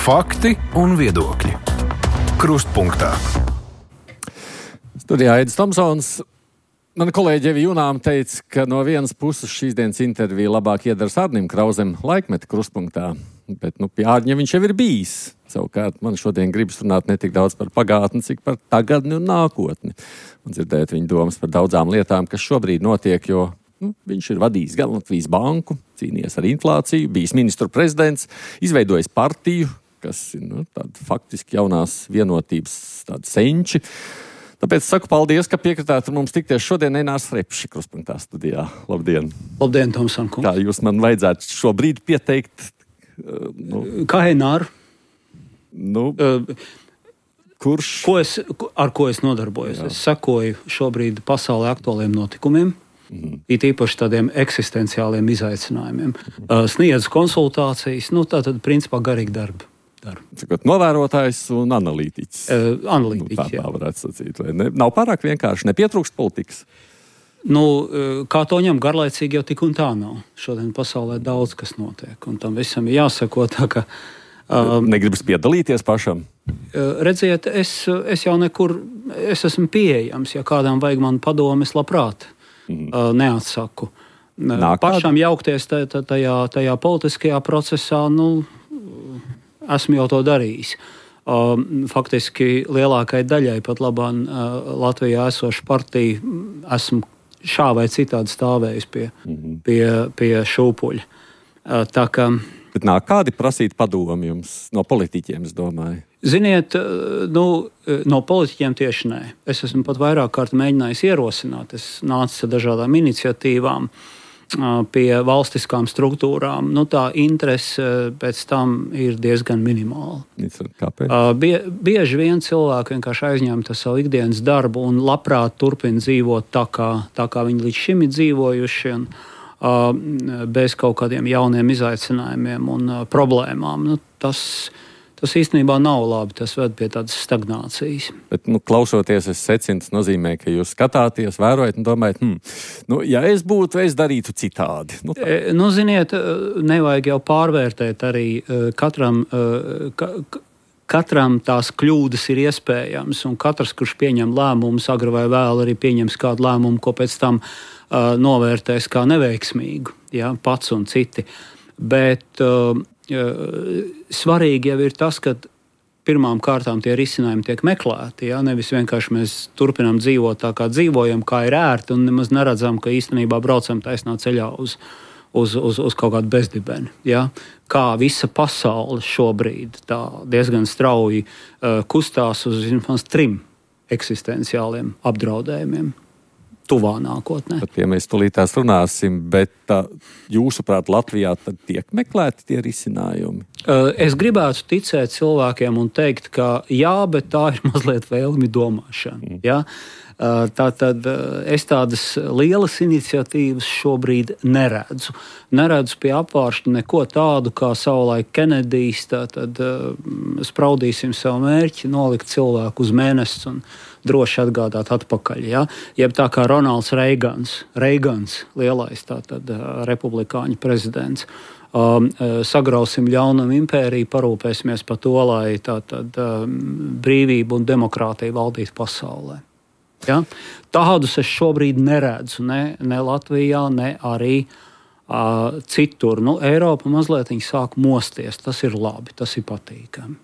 Fakti un viedokļi. Krustpunktā. Studijā Aidis Tomsons. Mana kolēģe Evija Junāma teica, ka no vienas puses šīs dienas intervija labāk iedars Arnim Krauzem Laikmeta krustpunktā, bet pie Ārņa viņš jau ir bijis. Savukārt man šodien gribas runāt ne tik daudz par pagātni, cik par tagadni un nākotni. Un dzirdēt viņa domas par daudzām lietām, kas šobrīd notiek, jo viņš ir vadījis gan Latvijas banku, cīnījies ar inflāciju, bijis ministru prezidents, izveidojis partiju, kas ir tāda faktiski jaunās vienotības tāda senči. Tāpēc saku paldies, ka piekritāt mums tikties šodien Einārs Repši krustpunktā studijā. Labdien! Labdien, Tomson kungs! Kā jūs man vajadzētu šobrīd pieteikt? Kā Eināru? Kurš? Ar ko es nodarbojos? Jā. Es sekoju šobrīd pasaulē aktuāliem notikumiem, it īpaši tādiem eksistenciāliem izaicinājumiem. Sniedzu konsultācijas, tātad principā garīgi darbi. Novērotājs un analītiķis. Analītiķis, tā varētu sacīt. Nav pārāk vienkārši, nepietrūkst politikas. Kā to ņem garlaicīgi, jau tik un tā nav. Šodien pasaulē daudz kas notiek, un tam visam ir jāsako tā, ka... Negribas piedalīties pašam? Redziet, es jau nekur, es esmu pieejams, ja kādām vajag man padomes, labprāt neatsaku. Pašam jaukties tajā politiskajā procesā, esmu jau to darījis. Faktiski lielākai daļai pat labāk Latvijā esošu partiju esmu šā vai citādi stāvējis pie šūpuļa. Tā kā... Bet nāk kādi prasīt padomu jums no politiķiem, es domāju? Ziniet, no politiķiem tieši nē. Es esmu pat vairāk kārt mēģinājis ierosināt. Es nācu ar dažādām iniciatīvām pie valstiskām struktūrām, tā interese pēc tam ir diezgan minimāla. Kāpēc? Bieži vien cilvēki vienkārši aizņemta savu ikdienas darbu un labprāt turpina dzīvot tā kā viņi līdz šim ir dzīvojuši, bez kaut kādiem jauniem izaicinājumiem un problēmām. Tas īstenībā nav labi, tas ved pie tādas stagnācijas. Bet, klausoties, es secinu, tas nozīmē, ka jūs skatāties, vērojat un domājat, ja es būtu, es darītu citādi. Ziniet, nevajag jau pārvērtēt arī katram tās kļūdas ir iespējams, un katrs, kurš pieņem lēmumus, agri vai vēl arī pieņems kādu lēmumu, ko pēc tam novērtēs kā neveiksmīgu, pats un citi. Bet svarīgi jau ir tas, ka pirmām kārtām tie risinājumi tiek meklēti. Nevis vienkārši mēs turpinām dzīvot tā, kā dzīvojam, kā ir ērti, un nemaz neredzam, ka īstenībā braucam taisnā ceļā uz kaut kādu bezdibeni. Kā visa pasaule šobrīd tā diezgan strauji kustās uz vismaz 3 eksistenciāliem apdraudējumiem. Tuvā nākotnē. Pat, ja mēs tūlītās runāsim, bet jūsuprāt Latvijā tad tiek meklēti tie risinājumi? Es gribētu ticēt cilvēkiem un teikt, ka jā, bet tā ir mazliet vēlmi domāšana. Tātad es tādas lielas iniciatīvas šobrīd neredzu. Neredzu pie apvāršņa neko tādu, kā savulaik Kenedijs, tātad spraudīsim savu mērķi, nolikt cilvēku uz mēnesi un droši atgādāt atpakaļ. Jeb tā kā Ronalds Reigans, lielais tātad republikāņu prezidents. Sagrausim ļaunumu impēriju, parūpēsimies par to, lai tātad brīvība un demokrātija valdītu pasaulē. Tādus es šobrīd neredzu, ne Latvijā, ne arī citur. Eiropa mazliet sāk mosties, tas ir labi, tas ir patīkami.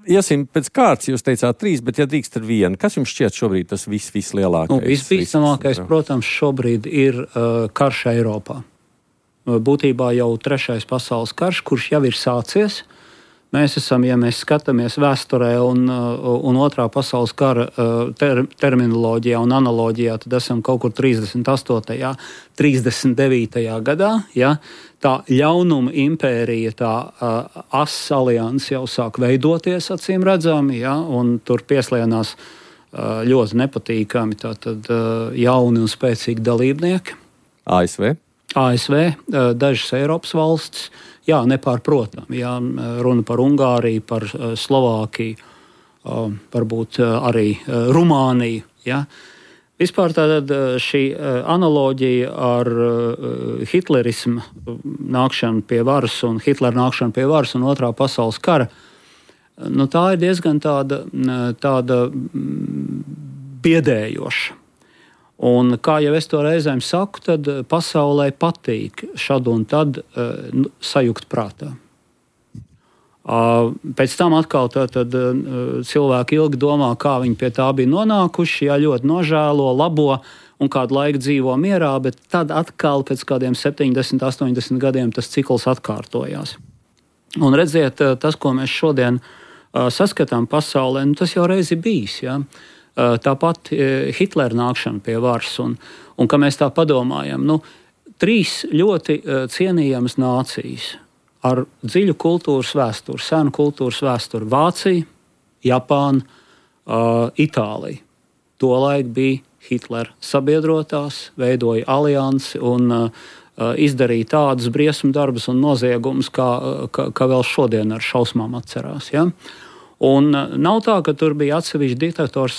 Iesim pēc kārtas, jūs teicāt 3, bet ja drīkst ar 1, kas jums šķiet šobrīd tas vislielākais? Visbīstamākais, protams, šobrīd ir karš Eiropā. Būtībā jau 3. pasaules karš, kurš jau ir sācies. Mēs esam, ja mēs skatāmies vēsturē un 2. pasaules kara terminoloģijā un analoģijā, tad esam kaut kur 38. 39. gadā. Tā ļaunuma impērija, tā asas alianses jau sāk veidoties, acīm redzami, un tur pieslienās ļoti nepatīkami tātad jauni un spēcīgi dalībnieki. ASV, dažas Eiropas valstis, nepārprotam. Runa par Ungāriju, par Slovākiju, varbūt arī Rumāniju. Vispār tātad šī analoģija ar hitlerismu nākšanu pie varas un Hitlera nākšanu pie varas un Otrā pasaules kara, tā ir diezgan tāda biedējoša. Un, kā jau es to reizēm saku, tad pasaulē patīk šad un tad sajukt prātā. Pēc tam atkal cilvēki ilgi domā, kā viņi pie tā bija nonākuši, ļoti nožēlo, labo un kādu laiku dzīvo mierā, bet tad atkal pēc kādiem 70, 80 gadiem tas cikls atkārtojās. Un redziet, tas, ko mēs šodien saskatām pasaulē, tas jau reizi bijis. Ja? Tāpat Hitlera nākšana pie varas, un ka mēs tā padomājam, 3 ļoti cienījamas nācijas ar dziļu kultūras vēsturi, senu kultūras vēsturi - Vācija, Japāna, Itālija. Tolaik bija Hitlera sabiedrotās, veidoja aliansi un izdarīja tādus briesmu darbus un noziegumus, kā vēl šodien ar šausmām atcerās. Ja? Un nav tā, ka tur bija atsevišķi diktatori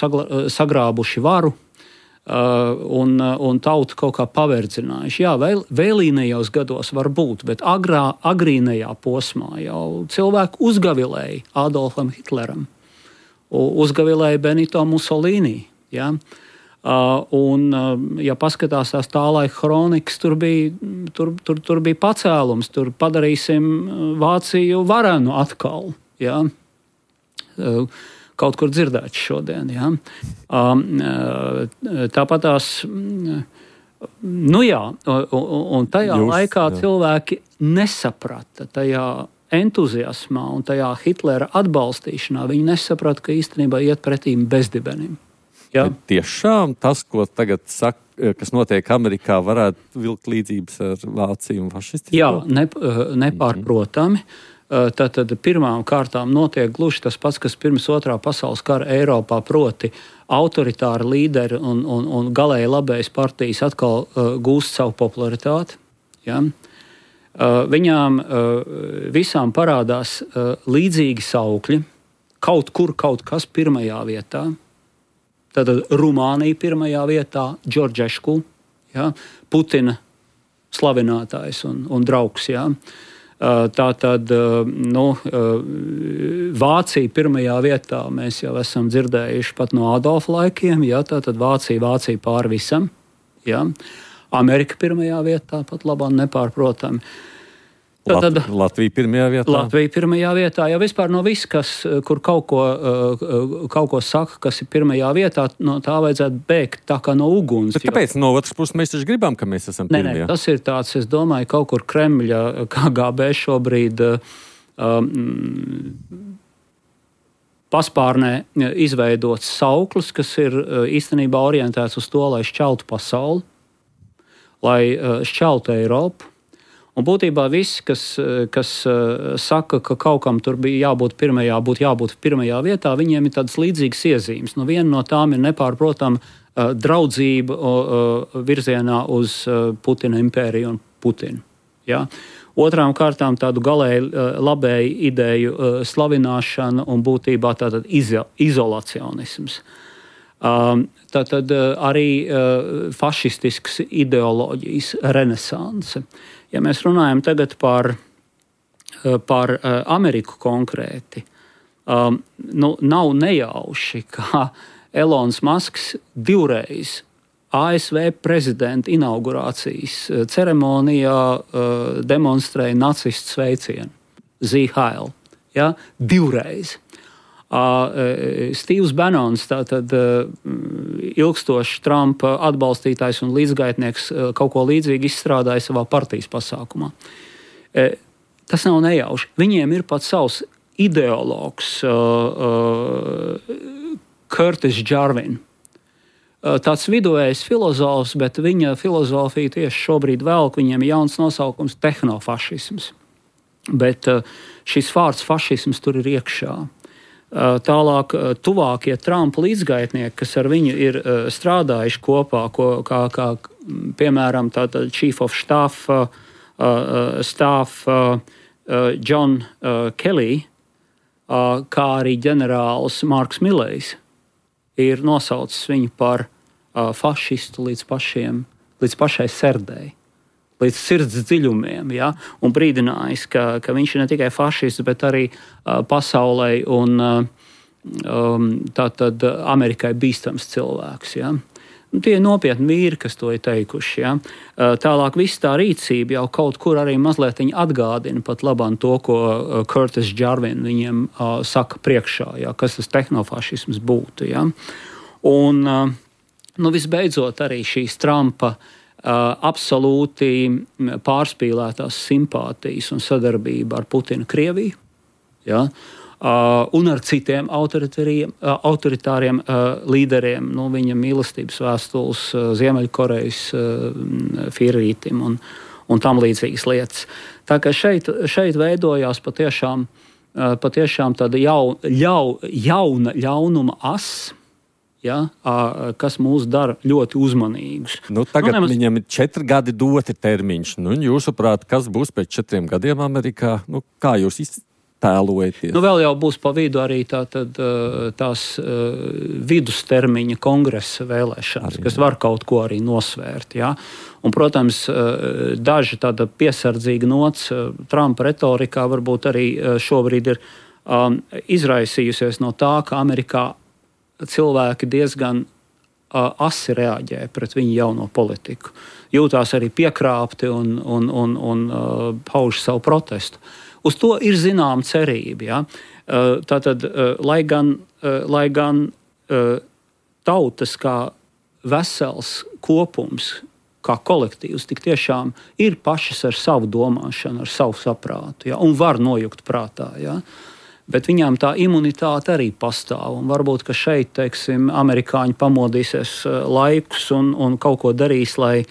sagrābuši varu un tautu kaut kā paverdzinājuši. Jā, vēlīnajos gados var būt, bet agrīnajā posmā jau cilvēki uzgavilēja Adolfam Hitleram, uzgavilēja Benito Mussolini. Ja? Un, ja paskatās tās tā laika kronikas, tur bija pacēlums, tur padarīsim Vāciju varenu atkal. Ja? Kaut kur dzirdēts šodien. Ja? Tāpat tās, un tajā laikā cilvēki nesaprata tajā entuziasmā un tajā Hitlera atbalstīšanā, viņi nesaprata, ka īstenībā iet pretīm bezdibenim. Ja? Tiešām tas, ko tagad saka, kas notiek Amerikā, varētu vilkt līdzības ar Vāciju un fašistiem? Jā, nepārprotami. Tātad pirmām kārtām notiek gluži tas pats, kas pirms Otrā pasaules kara Eiropā, proti autoritāri līderi un galēji labējas partijas atkal gūst savu popularitāti. Ja? Viņām visām parādās līdzīgi saukļi, kaut kur kaut kas pirmajā vietā. Tātad Rumānija pirmajā vietā, Džordžešku, ja? Putina slavinātājs un draugs. Ja? Tātad Vācija pirmajā vietā mēs jau esam dzirdējuši pat no Adolfa laikiem. Ja, tātad Vācija pāri visam. Ja. Amerika pirmajā vietā pat labāk nepārprotami. Latvija pirmajā vietā. Latvija pirmajā vietā. Jau vispār no viss, kur kaut ko saka, kas ir pirmajā vietā, no tā vajadzētu bēgt tā kā no uguns. Bet kāpēc no otras puses mēs taču gribam, ka mēs esam pirmajā? Nē, tas ir tāds, es domāju, kaut kur Kremļa KGB šobrīd paspārnē izveidots sauklis, kas ir īstenībā orientēts uz to, lai šķeltu pasauli, lai šķeltu Eiropu. Un būtībā visi, kas saka, ka kaut kam tur bija jābūt pirmajā vietā, viņiem ir tādas līdzīgas iezīmes. Viena no tām ir nepārprotama draudzība virzienā uz Putina impēriju un Putinu. Ja? Otrām kārtām tādu galēji labēju ideju slavināšana un būtībā tātad izolacionisms. Tātad arī fašistisks ideoloģijas renesanse. Ja mēs runājam tagad par Ameriku konkrēti, nav nejauši, ka Elons Masks 2 reizes ASV prezidenta inaugurācijas ceremonijā demonstrēja nacistu sveicienu Sieg Heil. Ja? 2 reizes. Steve's Bannons, tātad ilgstošs Trumpa atbalstītājs un līdzgaitnieks, kaut ko līdzīgu izstrādāja savā partijas pasākumā. Tas nav nejauši. Viņiem ir pat savs ideologs Curtis Jarvin. Tāds viduvējs filozofs, bet viņa filozofija tieši šobrīd velk, viņiem ir jauns nosaukums tehnofašisms. Bet šis vārds fašisms tur ir iekšā. Tālāk, tuvākie Trumpa līdzgaitnieki, kas ar viņu ir strādājuši kopā, kā piemēram Chief of Staff John Kelly, kā arī ģenerālis Marks Millejs, ir nosaucis viņu par fašistu līdz pašai serdei, līdz sirds dziļumiem, ja? Un brīdinājis, ka viņš ir ne tikai fašists, bet arī pasaulē un tātad Amerikai bīstams cilvēks. Ja? Tie ir nopietni vīri, kas to ir teikuši. Ja? Tālāk viss tā rīcība jau kaut kur arī mazliet atgādina pat labāk to, ko Curtis Jarvin viņiem saka priekšā, ja? Kas tas tehnofašisms būtu. Ja? Un visbeidzot arī šīs Trumpa absolūti pārspīlētās simpātijas un sadarbība ar Putinu Krieviju. Ja? Un ar citiem autoritāriem līderiem, viņa mīlestības vēstules Ziemeļkorejas Firītim un tam līdzīgas lietas. Tā kā šeit veidojās patiešām tāda jauna ļaunuma as, ja, kas mūs dara ļoti uzmanīgus. Tagad viņam ir 4 gadi doti termiņš. Jūsuprāt, kas būs pēc 4 gadiem Amerikā? Kā jūs tēlojaties? Vēl jau būs pa vidu arī tās vidustermiņa kongresa vēlēšanas, kas var kaut ko arī nosvērt. Ja? Un, protams, daži tāda piesardzīga nots Trumpa retorikā varbūt arī šobrīd ir izraisījusies no tā, ka Amerikā cilvēki diezgan asi reaģē pret viņu jauno politiku. Jūtās arī piekrāpti un pauž savu protestu. Uz to ir zināma cerība. Ja? Tātad, lai gan tautas kā vesels kopums, kā kolektīvs, tik tiešām ir pašas ar savu domāšanu, ar savu saprātu, ja? Un var nojukt prātā. Ja? Bet viņām tā imunitāte arī pastāv. Un varbūt, ka šeit, teiksim, amerikāņi pamodīsies laikus un kaut ko darīs, lai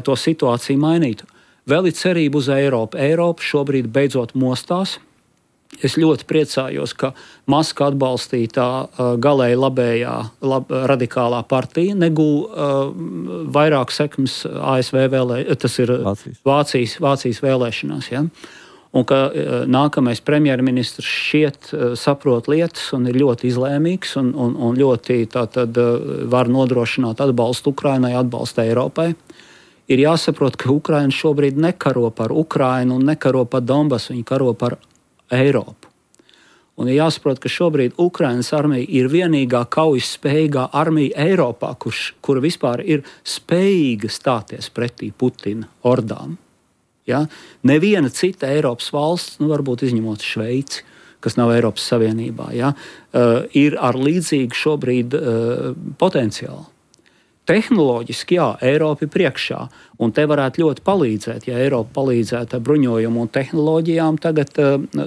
to situāciju mainītu. Vēl ir cerība uz Eiropu. Eiropa šobrīd beidzot mostās. Es ļoti priecājos, ka Maska atbalstītā galēji labējā radikālā partija negūja vairāk sekmes ASV tas ir Vācijas vēlēšanās. Ja? Un ka nākamais premjerministrs šķiet saprot lietas un ir ļoti izlēmīgs un ļoti var nodrošināt atbalstu Ukrainai, atbalstu Eiropai. Ir jāsaprot, ka Ukraina šobrīd nekaro par Ukrainu un nekaro par Donbasu, viņi karo par Eiropu. Un ir jāsaprot, ka šobrīd Ukrainas armija ir vienīgā kaujas spējīgā armija Eiropā, kura vispār ir spējīga stāties pretī Putina ordām. Ja? Neviena cita Eiropas valsts, varbūt izņemot Šveici, kas nav Eiropas Savienībā, ja? Ir ar līdzīgu šobrīd potenciālu. Tehnoloģiski, jā, Eiropa ir priekšā, un te varētu ļoti palīdzēt, ja Eiropa palīdzētu ar bruņojumu un tehnoloģijām. Tagad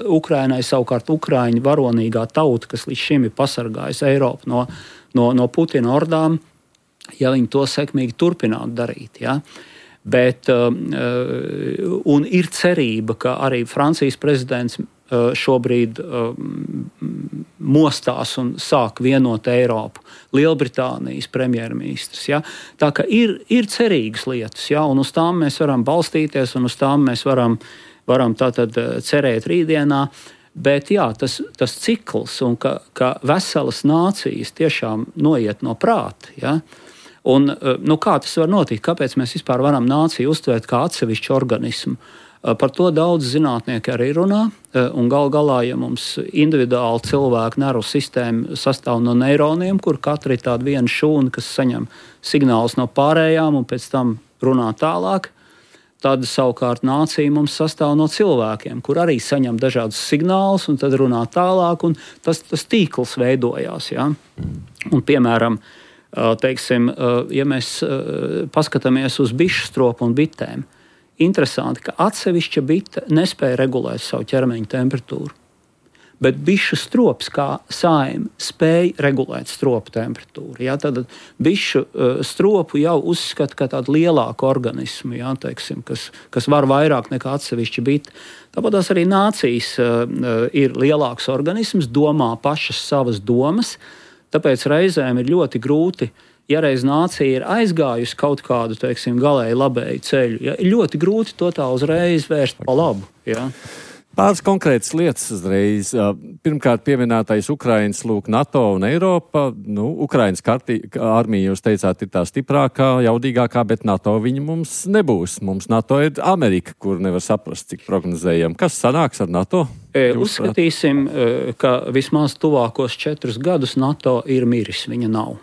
Ukrainai savukārt Ukraiņu varonīgā tauta, kas līdz šim ir pasargājusi Eiropu no Putina ordām, ja viņi to sekmīgi turpinātu darīt. Ja? Bet, un ir cerība, ka arī Francijas prezidents šobrīd mostās un sāk vienot Eiropu. Lielbritānijas premjerministrs. Ja? Tā kā ir cerīgas lietas, ja? Un uz tām mēs varam balstīties, un uz tām mēs varam tātad cerēt rītdienā. Bet jā, tas cikls, un ka veselas nācijas tiešām noiet no prāta. Ja? Un, kā tas var notikt? Kāpēc mēs vispār varam nāciju uztvērt kā atsevišķu organismu? Par to daudz zinātnieki arī runā, un galā, ja mums individuāli cilvēku nervu sistēma sastāv no neironiem, kur katra ir tāda viena šūna, kas saņem signālus no pārējām un pēc tam runā tālāk, tad savukārt nācija mums sastāv no cilvēkiem, kur arī saņem dažādus signālus un tad runā tālāk, un tas tīkls veidojās. Ja? Un, piemēram, teiksim, ja mēs paskatāmies uz bišu stropu un bitēm, interesanti, ka atsevišķa bite nespēja regulēt savu ķermeņa temperatūru, bet bišu strops kā saime spēja regulēt stropu temperatūru. Ja? Tad bišu stropu jau uzskata kā tādu lielāku organismu, ja? Teiksim, kas var vairāk nekā atsevišķa bite. Tāpat arī nācijas ir lielāks organisms, domā pašas savas domas, tāpēc reizēm ir ļoti grūti. Ja reiz nācija ir aizgājusi kaut kādu, teiksim, galēji labēju ceļu, ja, ir ļoti grūti to tā uzreiz vērst pa labu. Ja? Pāris konkrētas lietas uzreiz. Pirmkārt, pieminētais Ukrainas, NATO un Eiropa. Ukrainas armija, jūs teicāt, ir tā stiprākā, jaudīgākā, bet NATO viņa mums nebūs. Mums NATO ir Amerika, kur nevar saprast, cik prognozējam. Kas sanāks ar NATO? Uzskatīsim, ka vismaz tuvākos 4 gadus NATO ir miris, viņa nav.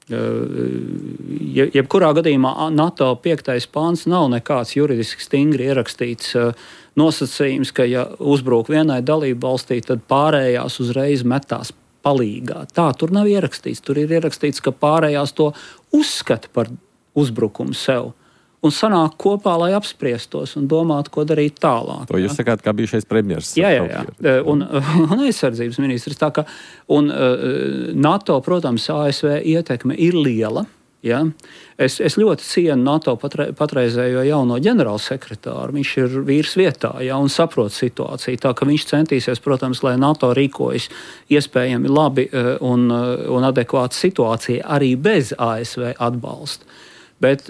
Jebkurā gadījumā NATO 5. pāns nav nekāds juridiski stingri ierakstīts nosacījums, ka ja uzbruk vienai dalību valstī, tad pārējās uzreiz metās palīgā. Tā tur nav ierakstīts. Tur ir ierakstīts, ka pārējās to uzskata par uzbrukumu sev un sanāk kopā, lai apspriestos un domātu, ko darīt tālāk. To jūs sakāt, kā bijušais premjers. Jā. Un aizsardzības ministrs. NATO, protams, ASV ietekme ir liela. Ja? Es ļoti cienu NATO patreizējo jauno ģenerālsekretāru. Viņš ir vīrs vietā, ja, un saprot situāciju. Tā ka viņš centīsies, protams, lai NATO rīkojas iespējami labi un adekvāta situācija arī bez ASV atbalsta. Bet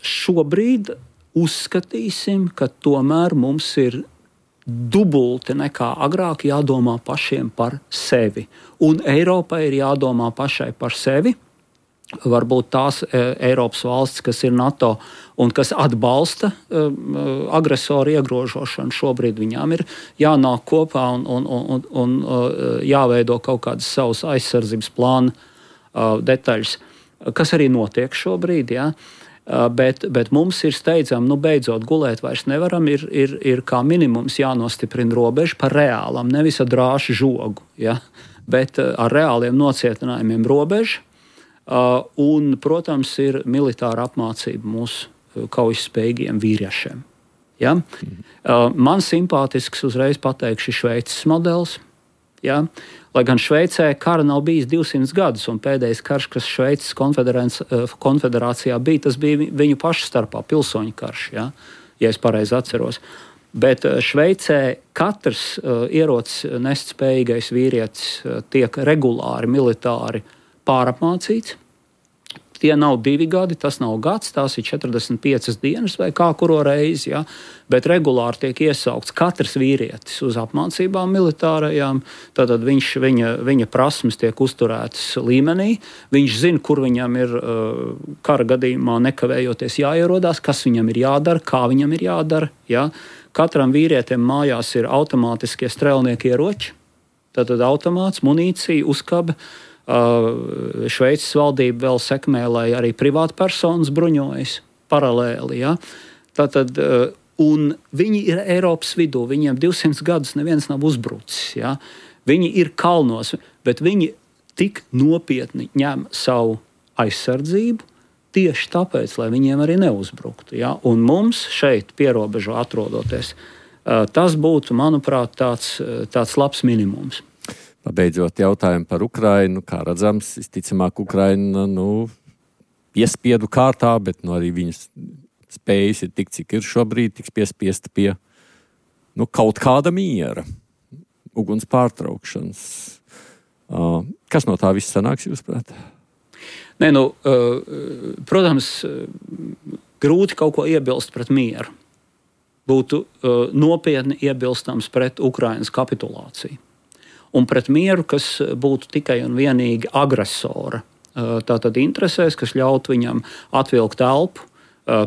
šobrīd uzskatīsim, ka tomēr mums ir dubulti nekā agrāk jādomā pašiem par sevi. Un Eiropai ir jādomā pašai par sevi. Varbūt tās Eiropas valstis, kas ir NATO un kas atbalsta agresoru iegrožošanu, šobrīd viņām ir jānāk kopā un jāveido kaut kādas savas aizsardzības plāna detaļas. Kas arī notiek šobrīd, ja? Bet mums ir steidzami, beidzot gulēt vairs nevaram, ir kā minimums jānostiprina robeža par reālam, nevis ar drāšu žogu, ja? Bet ar reāliem nocietinājumiem robeža, un, protams, ir militāra apmācība mūsu kaujas-spējīgiem vīriešiem. Ja? Man simpātisks, uzreiz pateikšu, Šveices modelis. Ja? Lai gan Šveicē kara nav bijis 200 gadus, un pēdējais karš, kas Šveices konfederācijā bija, tas bija viņu pašu starpā pilsoņu karš, ja es pareizi atceros. Bet Šveicē katrs ierocis nest spējīgais vīrietis tiek regulāri militāri pārapmācīts. Tie nav 2 gadi, tas nav gads, tās ir 45 dienas vai kā kuro reizi, ja? Bet regulāri tiek iesaukts katrs vīrietis uz apmācībām militārajām, tad viņa prasmes tiek uzturētas līmenī, viņš zina, kur viņam ir kara gadījumā nekavējoties jāierodās, kas viņam ir jādara, kā viņam ir jādara, ja? Katram vīrietim mājās ir automātiskie strēlnieki ieroči, tad automāts, munīcija, uzkabe. Šveices valdība vēl sekmē, lai arī privātpersonas bruņojas paralēli. Ja? Tātad, un viņi ir Eiropas vidū, viņiem 200 gadus neviens nav uzbrucis. Ja? Viņi ir kalnos, bet viņi tik nopietni ņem savu aizsardzību tieši tāpēc, lai viņiem arī neuzbruktu. Ja? Un mums šeit pierobežu atrodoties, tas būtu, manuprāt, tāds labs minimums. Pabeidzot jautājumu par Ukrainu, kā redzams, visticamāk Ukraina piespiedu kārtā, bet arī viņas spējas ir tik, cik ir šobrīd, tiks piespiesta pie kaut kāda miera, uguns pārtraukšanas. Kas no tā viss sanāks, jūsuprāt? Protams, grūti kaut ko iebilst pret mieru. Būtu nopietni iebilstams pret Ukrainas kapitulāciju. Un pret mieru, kas būtu tikai un vienīgi agresora. Tātad interesēs, kas ļaut viņam atvilkt elpu,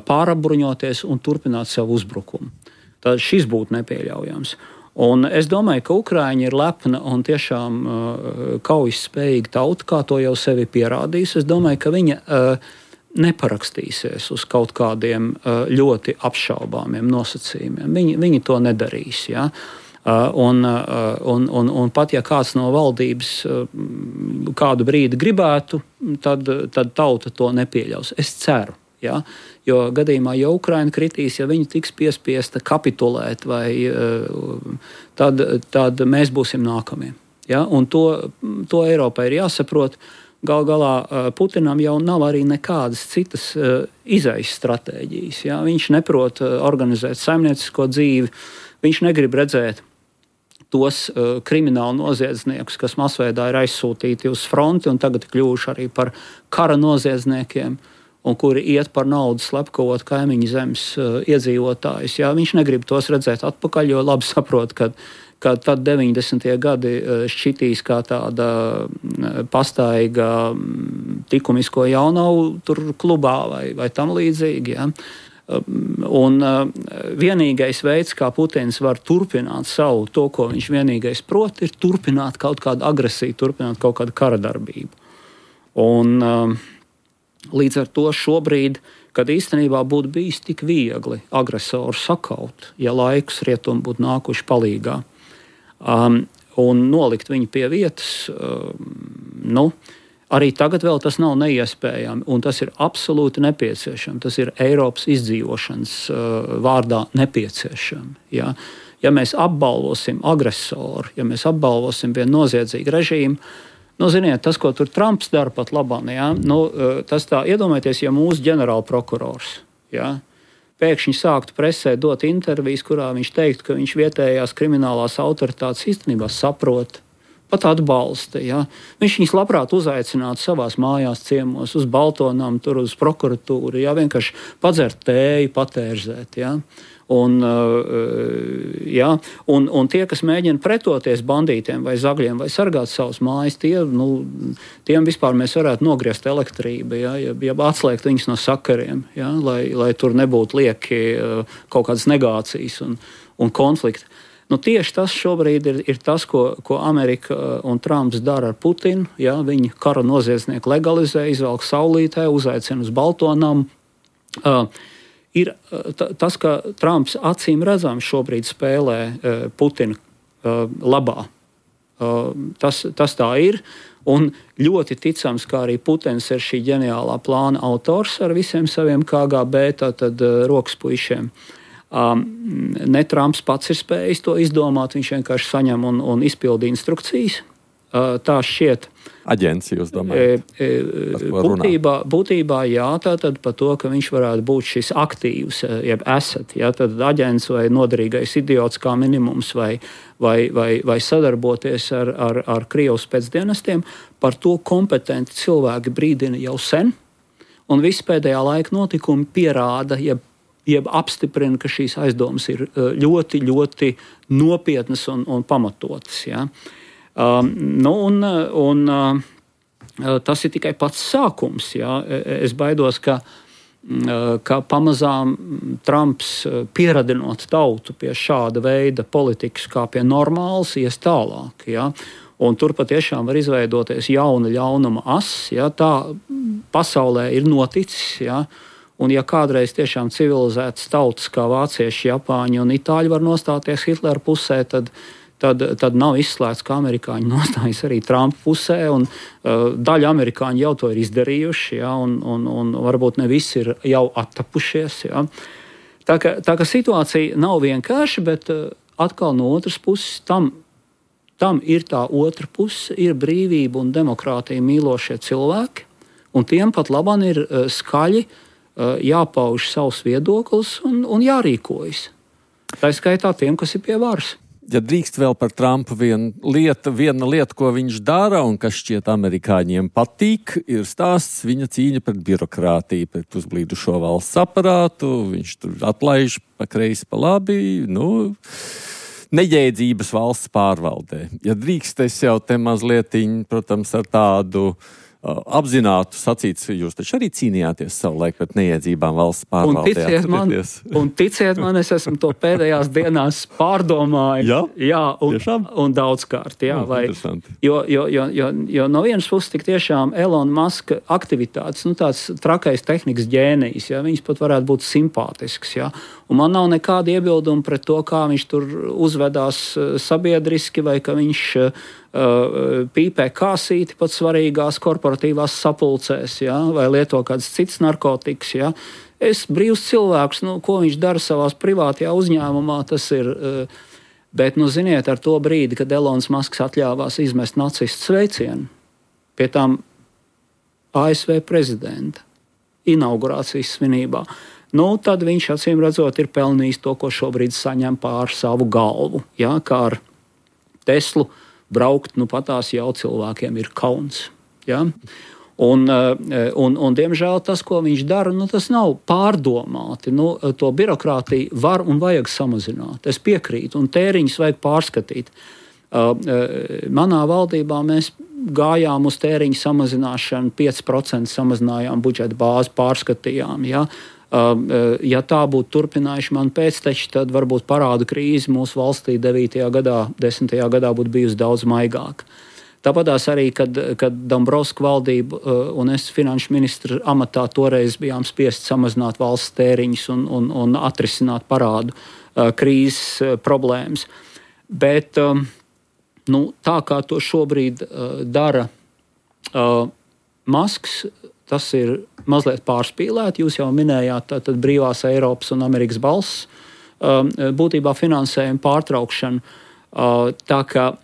pārapbruņoties un turpināt savu uzbrukumu. Tad šis būtu nepieļaujams. Un es domāju, ka Ukraiņa ir lepna un tiešām kaujas spējīga tauta, kā to jau sevi pierādījis. Es domāju, ka viņa neparakstīsies uz kaut kādiem ļoti apšaubāmiem nosacījumiem. Viņi to nedarīs, ja? Un pat ja kāds no valdības kādu brīdi gribētu, tad tauta to nepieļaus. Es ceru, ja? Jo gadījumā, ja Ukraina kritīs, ja viņi tiks piespiesta kapitulēt, tad mēs būsim nākamie. Ja? Un to Eiropai ir jāsaprot. Gal galā Putinam jau nav arī nekādas citas izejas stratēģijas. Ja? Viņš neprot organizēt saimniecisko dzīvi, viņš negrib redzēt tos kriminālu noziedzniekus, kas masveidā ir aizsūtīti uz fronti un tagad kļuvuši arī par kara noziedzniekiem. un kuri iet par naudu slepkavot kaimiņu zemes iedzīvotājus. Jā, viņš negrib tos redzēt atpakaļ, jo labi saprot, ka tad 90. gadi šķitīs kā tāda pastaiga likumisko jaunavu tur klubā vai tam līdzīgi. Jā. Un vienīgais veids, kā Putins var turpināt savu to, ko viņš vienīgais prot, ir turpināt kaut kādu agresiju, turpināt kaut kādu kara darbību. Un līdz ar to šobrīd, kad īstenībā būtu bijis tik viegli agresoru sakaut, ja laikus rietumi būtu nākuši palīgā, un nolikt viņu pie vietas, arī tagad vēl tas nav neiespējami, un tas ir absolūti nepieciešami. Tas ir Eiropas izdzīvošanas vārdā nepieciešami. Ja? Ja mēs apbalvosim agresoru, ja mēs apbalvosim vienu noziedzīgu režīmu, ziniet, tas, ko tur Trumps dara pat labāk, ja? Tas tā, iedomājieties, ja mūsu ģenerālprokurors, ja? Pēkšņi sāktu presē dot intervijas, kurā viņš teiktu, ka viņš vietējās kriminālās autoritātes īstenībā saprot, pat atbalsta. Ja? Viņš viņus labprāt uzaicinātu savās mājās ciemos, uz Baltonām, tur uz prokuratūru, ja? Vienkārši padzert tēju, patērzēt. Ja? Un tie, kas mēģina pretoties bandītiem vai zagļiem vai sargāt savus mājas, tiem vispār mēs varētu nogriezt elektrību, ja atslēgt viņus no sakariem, ja? lai tur nebūtu lieki kaut kādas negācijas un konflikti. Tieši tas šobrīd ir tas, ko Amerika un Trumps dara ar Putinu. Ja? Viņi kara noziedznieku legalizē, izvelk saulītē, uzaicina uz Baltonām. Ir tas, ka Trumps acīm redzams šobrīd spēlē Putina labā. Tas tā ir. Un ļoti ticams, ka arī Putins ir šī ģeniālā plāna autors ar visiem saviem KGB rokas puišiem. Ne Trumps pats ir spējis to izdomāt, viņš vienkārši saņem un izpilda instrukcijas. Tā šķiet. Aģents, jūs domājat? Būtībā jā, tātad par to, ka viņš varētu būt šis aktīvs, jeb asset, jā, tad aģents vai noderīgais idiots kā minimums vai sadarboties ar Krievijas pēcdienestiem, par to kompetenti cilvēki brīdina jau sen, un visi pēdējā laika notikumi pierāda, jeb apstiprina, ka šīs aizdomas ir ļoti, ļoti nopietnas un pamatotas, jā. Tas ir tikai pats sākums. Ja? Es baidos, ka pamazām Trumps pieradinot tautu pie šāda veida politikas kā pie normālas, ies tālāk. Ja? Un tur patiešām var izveidoties jauna ļaunuma as. Ja? Tā pasaulē ir noticis. Ja? Un ja kādreiz tiešām civilizētas tautas kā vācieši, japāņi un itāļi var nostāties Hitlera pusē, tad nav izslēgts, ka amerikāņi nostājas arī Trumpa pusē, un daļa amerikāņi jau to ir izdarījuši, ja, un varbūt ne visi ir jau attapušies. Ja. Tā ka situācija nav vienkārša, bet atkal no otras puses tam ir tā otra puse, ir brīvība un demokrātija mīlošie cilvēki, un tiem pat labāk ir skaļi jāpauž savs viedoklis un jārīkojas. Tā skaitā tiem, kas ir pie varas. Ja drīkst vēl par Trumpu viena lieta, ko viņš dara un kas šķiet amerikāņiem patīk, ir stāsts viņa cīņa pret birokrātiju, pret uzblīdušo valsts aparātu. Viņš tur atlaiž pa kreisi, pa labi, neģēdzības valsts pārvaldē. Ja drīkst, es jau te mazlietiņ, protams, ar tādu apzinātu sacīts, jūs taču arī cīnījāties savulaik pret neiedzībām valsts pārvaldē. Un ticiet man, es esmu to pēdējās dienās pārdomājis. Jā, un daudzkārt. Jā, jo no vienas puses tik tiešām Elona Muska aktivitātes, tāds trakais tehnikas ģēnijs, ja, viņas pat varētu būt simpātisks. Ja. Un man nav nekāda iebilduma pret to, kā viņš tur uzvedās sabiedriski, vai ka viņš pīpē kāsīti pat svarīgās korporatīvās sapulcēs, ja, vai lieto kādas citas narkotikas. Ja. Es brīvs cilvēks, ko viņš dara savās privātajā uzņēmumā, tas ir. Bet, ziniet, ar to brīdi, kad Elons Musks atļāvās izmest nacistu sveicienu pie tām ASV prezidenta inaugurācijas svinībā, tad viņš acīm redzot ir pelnījis to, ko šobrīd saņem pār savu galvu. Ja, kā ar Teslu braukt, patās jau cilvēkiem ir kauns. Ja? Un, diemžēl, tas, ko viņš dara, tas nav pārdomāti. To birokrātiju var un vajag samazināt. Es piekrītu, un tēriņus vajag pārskatīt. Manā valdībā mēs gājām uz tēriņu samazināšanu, 5% samazinājām budžeta bāzi, pārskatījām. Ja? Ja tā būtu turpinājuši mani pēcteči, tad varbūt parādu krīze mūsu valstī 9. gadā, 10. gadā būtu bijusi daudz maigāka. Tāpatās arī, kad Dombrovska valdība un es finanšu ministra amatā toreiz bijām spiest samazināt valsts tēriņus un atrisināt parādu krīzes problēmas. Bet tā kā to šobrīd dara Masks, tas ir mazliet pārspīlēti. Jūs jau minējāt tātad brīvās Eiropas un Amerikas balss, būtībā finansējuma pārtraukšanu. Tā kā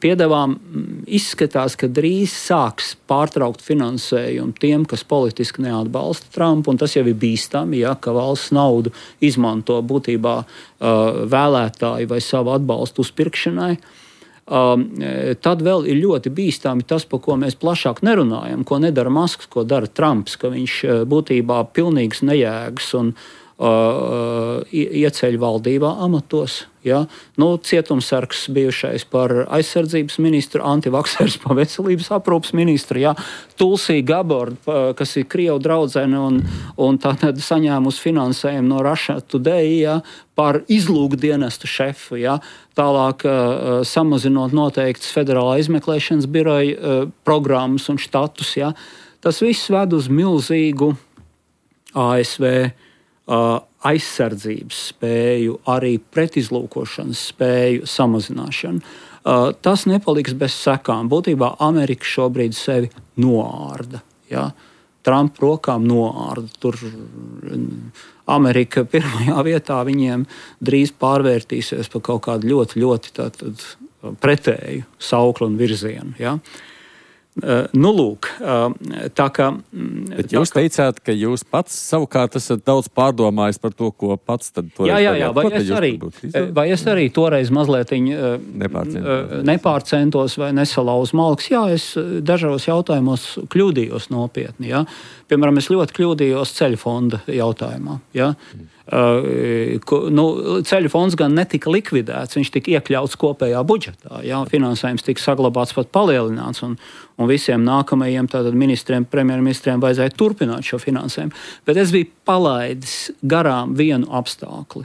piedevām izskatās, ka drīz sāks pārtraukt finansējumu tiem, kas politiski neatbalsta Trumpu, un tas jau ir bīstami, ja, ka valsts naudu izmanto būtībā vēlētāju vai savu atbalstu uzpirkšanai. Tad vēl ir ļoti bīstami tas, par ko mēs plašāk nerunājam, ko nedara Masks, ko dara Trumps, ka viņš būtībā pilnīgs nejēgas un ieceļ valdībā amatos. Ja? Cietumsargs bijušais par aizsardzības ministru, antivaksers par veselības aprūpas ministru, ja? Tulsi Gabbard, kas ir Krievu draudzene un tātad saņēmusi finansējumu no Russia Today, ja? Par izlūkdienestu šefu, ja? Tālāk samazinot noteiktas federālā izmeklēšanas biroja programmas un štatus. Ja? Tas viss ved uz milzīgu ASV aizsardzības spēju, arī pretizlūkošanas spēju samazināšanu. Tas nepaliks bez sekām. Būtībā Amerika šobrīd sevi noārda. Ja? Trumpa rokām noārda. Tur Amerika pirmajā vietā viņiem drīz pārvērtīsies par kaut kādu ļoti, ļoti pretēju sauklu un virzienu. Ja? Lūk, tā kā... Bet jūs teicāt, ka jūs pats savukārt esat daudz pārdomājis par to, ko pats tad toreiz Jā, vai es arī toreiz mazliet nepārcentos vai nesalauzu malks. Jā, es dažos jautājumos kļūdījos nopietni. Ja? Piemēram, es ļoti kļūdījos ceļu fonda jautājumā. Ja? Ceļu fonds gan netika likvidēts, viņš tika iekļauts kopējā budžetā. Ja? Finansējums tika saglabāts, pat palielināts, un visiem nākamajiem ministriem, premjerministriem vajadzēja turpināt šo finansējumu. Bet es biju palaidis garām vienu apstākli,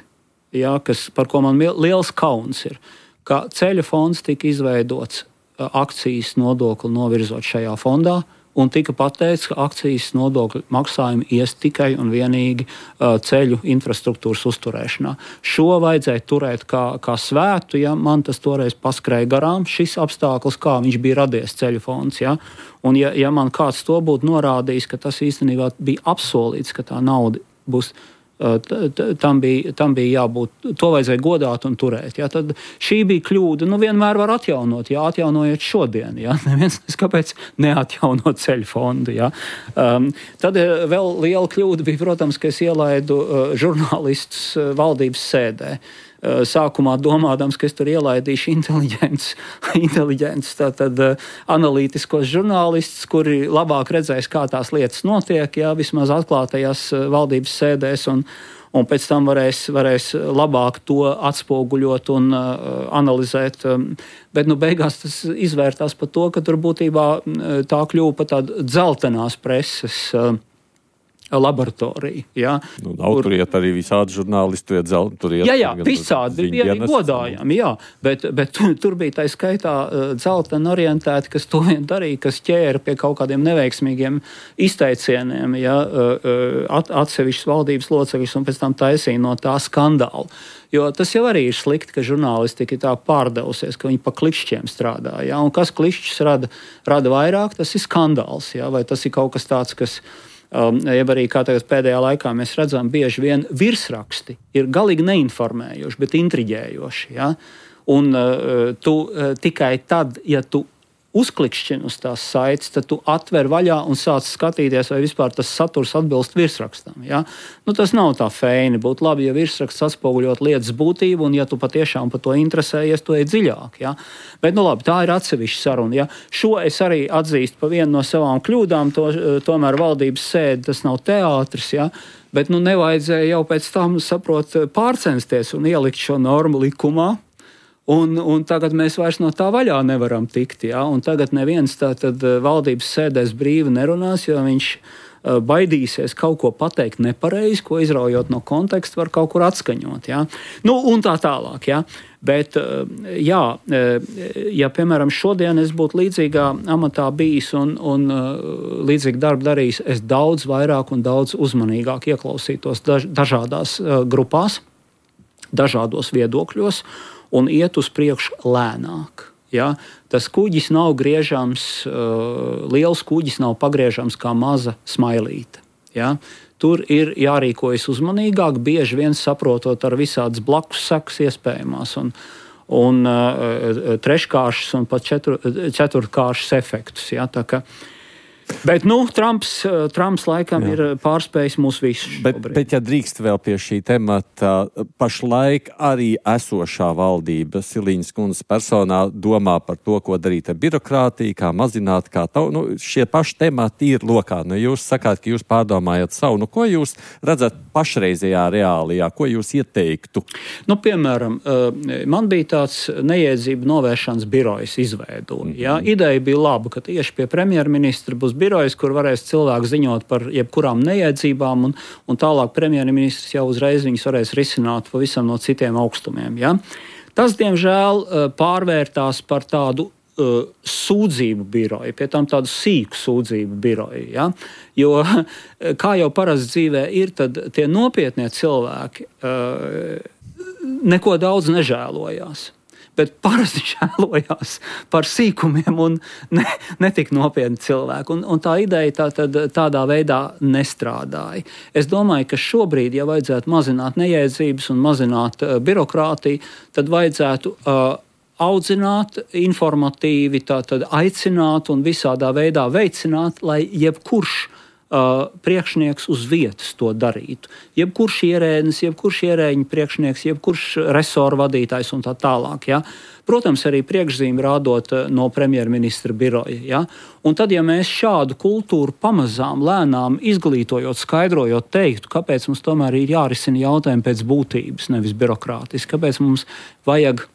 ja? Par ko man liels kauns ir, ka ceļu fonds tika izveidots akcijas nodokli novirzot šajā fondā, un tika pateikts, ka akcijas nodokļu maksājumi ies tikai un vienīgi ceļu infrastruktūras uzturēšanā. Šo vajadzēja turēt kā svētu, ja man tas toreiz paskrēja garām, šis apstākļus, kā viņš bija radies ceļu fonds. Ja? Un ja man kāds to būtu norādījis, ka tas īstenībā bija apsolīts, ka tā nauda būs, tam bija jābūt, to vajadzēja godāt un turēt. Ja? Tad šī bija kļūda, vienmēr var atjaunot, ja atjaunojiet šodien. Ja? Neviens, kāpēc neatjaunot ceļu fondu. Ja? Tad vēl liela kļūda bija, protams, ka es ielaidu žurnālistus valdības sēdē. Sākumā domādams, ka es tur ielaidīšu inteliģents analītiskos žurnālistus, kuri labāk redzēs, kā tās lietas notiek, ja, vismaz atklātajās valdības sēdēs, un pēc tam varēs labāk to atspoguļot un analizēt. Bet beigās tas izvērtās par to, ka tur būtībā tā kļuva par tādu dzeltenās preses laboratorija. Ja? Tur iet arī visādi žurnālisti. Jā, visādi bija arī godājami, jā. Bet tur bija tā skaitā dzelteni orientēti, kas to vien darīja, kas ķēra pie kaut kādiem neveiksmīgiem izteicieniem, ja? Atsevišķas valdības locekļus un pēc tam taisīja no tā skandālu. Jo tas jau arī ir slikti, ka žurnālistika ir tā pārdevusies, ka viņi pa klikšķiem strādā. Ja? Un kas klikšķis rada vairāk, tas ir skandāls. Ja? Vai tas ir kaut kas tāds, kas... Jeb arī kā tagad pēdējā laikā mēs redzam, bieži vien virsraksti ir galīgi neinformējoši, bet intriģējoši. Ja? Un tu tikai tad, ja tu uzklikšķini uz tās saites, tad tu atver vaļā un sāc skatīties, vai vispār tas saturs atbilst virsrakstam. Ja? Nu, tas nav tā feini. Būtu labi, ja virsraksts atspoguļot lietas būtību, un ja tu patiešām par to interesējies, tu ej dziļāk. Ja? Bet, nu labi, tā ir atsevišķa saruna. Ja? Šo es arī atzīstu par vienu no savām kļūdām, tomēr valdības sēde, tas nav teātris, ja? Bet nu nevajadzēja jau pēc tam, pārcensties un ielikt šo normu likumā. Un tagad mēs vairs no tā vaļā nevaram tikt. Ja? Un tagad neviens tātad valdības sēdēs brīvi nerunās, jo viņš baidīsies kaut ko pateikt nepareizi, ko izraujot no konteksta var kaut kur atskaņot. Ja? Nu, un tā tālāk. Ja? Bet, jā, ja, piemēram, šodien es būtu līdzīgā amatā bijis un līdzīgi darbu darījis, es daudz vairāk un daudz uzmanīgāk ieklausītos dažādās grupās, dažādos viedokļos, un iet uz priekšu lēnāk. Ja? Tas kuģis nav griežams, liels kuģis nav pagriežams kā maza smailīte. Ja? Tur ir jārīkojas uzmanīgāk, bieži vien saprotot ar visādas blakus sekas iespējamās un treškāršas un pat ceturtkāršas efektus. Ja? Bet, nu, Trumps laikam ir pārspējis mūs visus. Bet, ja drīkst vēl pie šī temata, pašlaik arī esošā valdība Siliņas kundzes personā domā par to, ko darīt ar birokrātiju, kā mazināt, šie paši temati ir lokā. Nu, jūs sakāt, ka jūs pārdomājat savu. Nu, ko jūs redzat pašreizējā reālijā? Ko jūs ieteiktu? Nu, piemēram, man bija tāds neiedzību novēršanas birojas izveidoja. Ja? Ideja bija laba, ka tieši pie premjerministra būs birojas, kur varēs cilvēki ziņot par jebkurām neiedzībām, un tālāk premjerministrs jau uzreiz viņus varēs risināt pavisam no citiem augstumiem. Ja? Tas, diemžēl, pārvērtās par tādu sūdzību biroju, pie tam tādu sīku sūdzību biroju. Ja? Jo, kā jau parasti dzīvē ir, tad tie nopietnie cilvēki neko daudz nežēlojās. Bet parasti žēlojās par sīkumiem un netik nopietni cilvēki. Un tā ideja tādā veidā nestrādāja. Es domāju, ka šobrīd, ja vajadzētu mazināt neiedzības un mazināt birokrātiju, tad vajadzētu audzināt, informatīvi aicināt un visādā veidā veicināt, lai jebkurš priekšnieks uz vietas to darītu. Jebkurš ierēdnis, jebkurš ierēģiņa priekšnieks, jebkurš resoru vadītājs un tā tālāk. Ja? Protams, arī priekšzīmi rādot no premjerministra biroja. Ja? Un tad, ja mēs šādu kultūru pamazām, lēnām izglītojot, skaidrojot, teiktu, kāpēc mums tomēr ir jārisina jautājumi pēc būtības, nevis birokrātiski, kāpēc mums vajag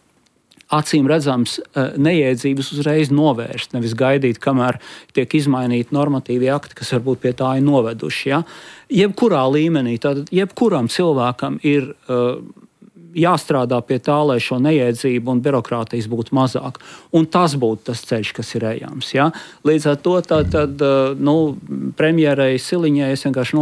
acīm redzams neiedzības uzreiz novērst, nevis gaidīt, kamēr tiek izmainīti normatīvi akti, kas varbūt pie tā ir noveduši. Ja? Jebkurā līmenī, tad jebkuram cilvēkam ir jāstrādā pie tā, lai šo neiedzību un birokrātijas būtu mazāk. Un tas būtu tas ceļš, kas ir ejams. Ja? Līdz ar to premjerei Siliņai es vienkārši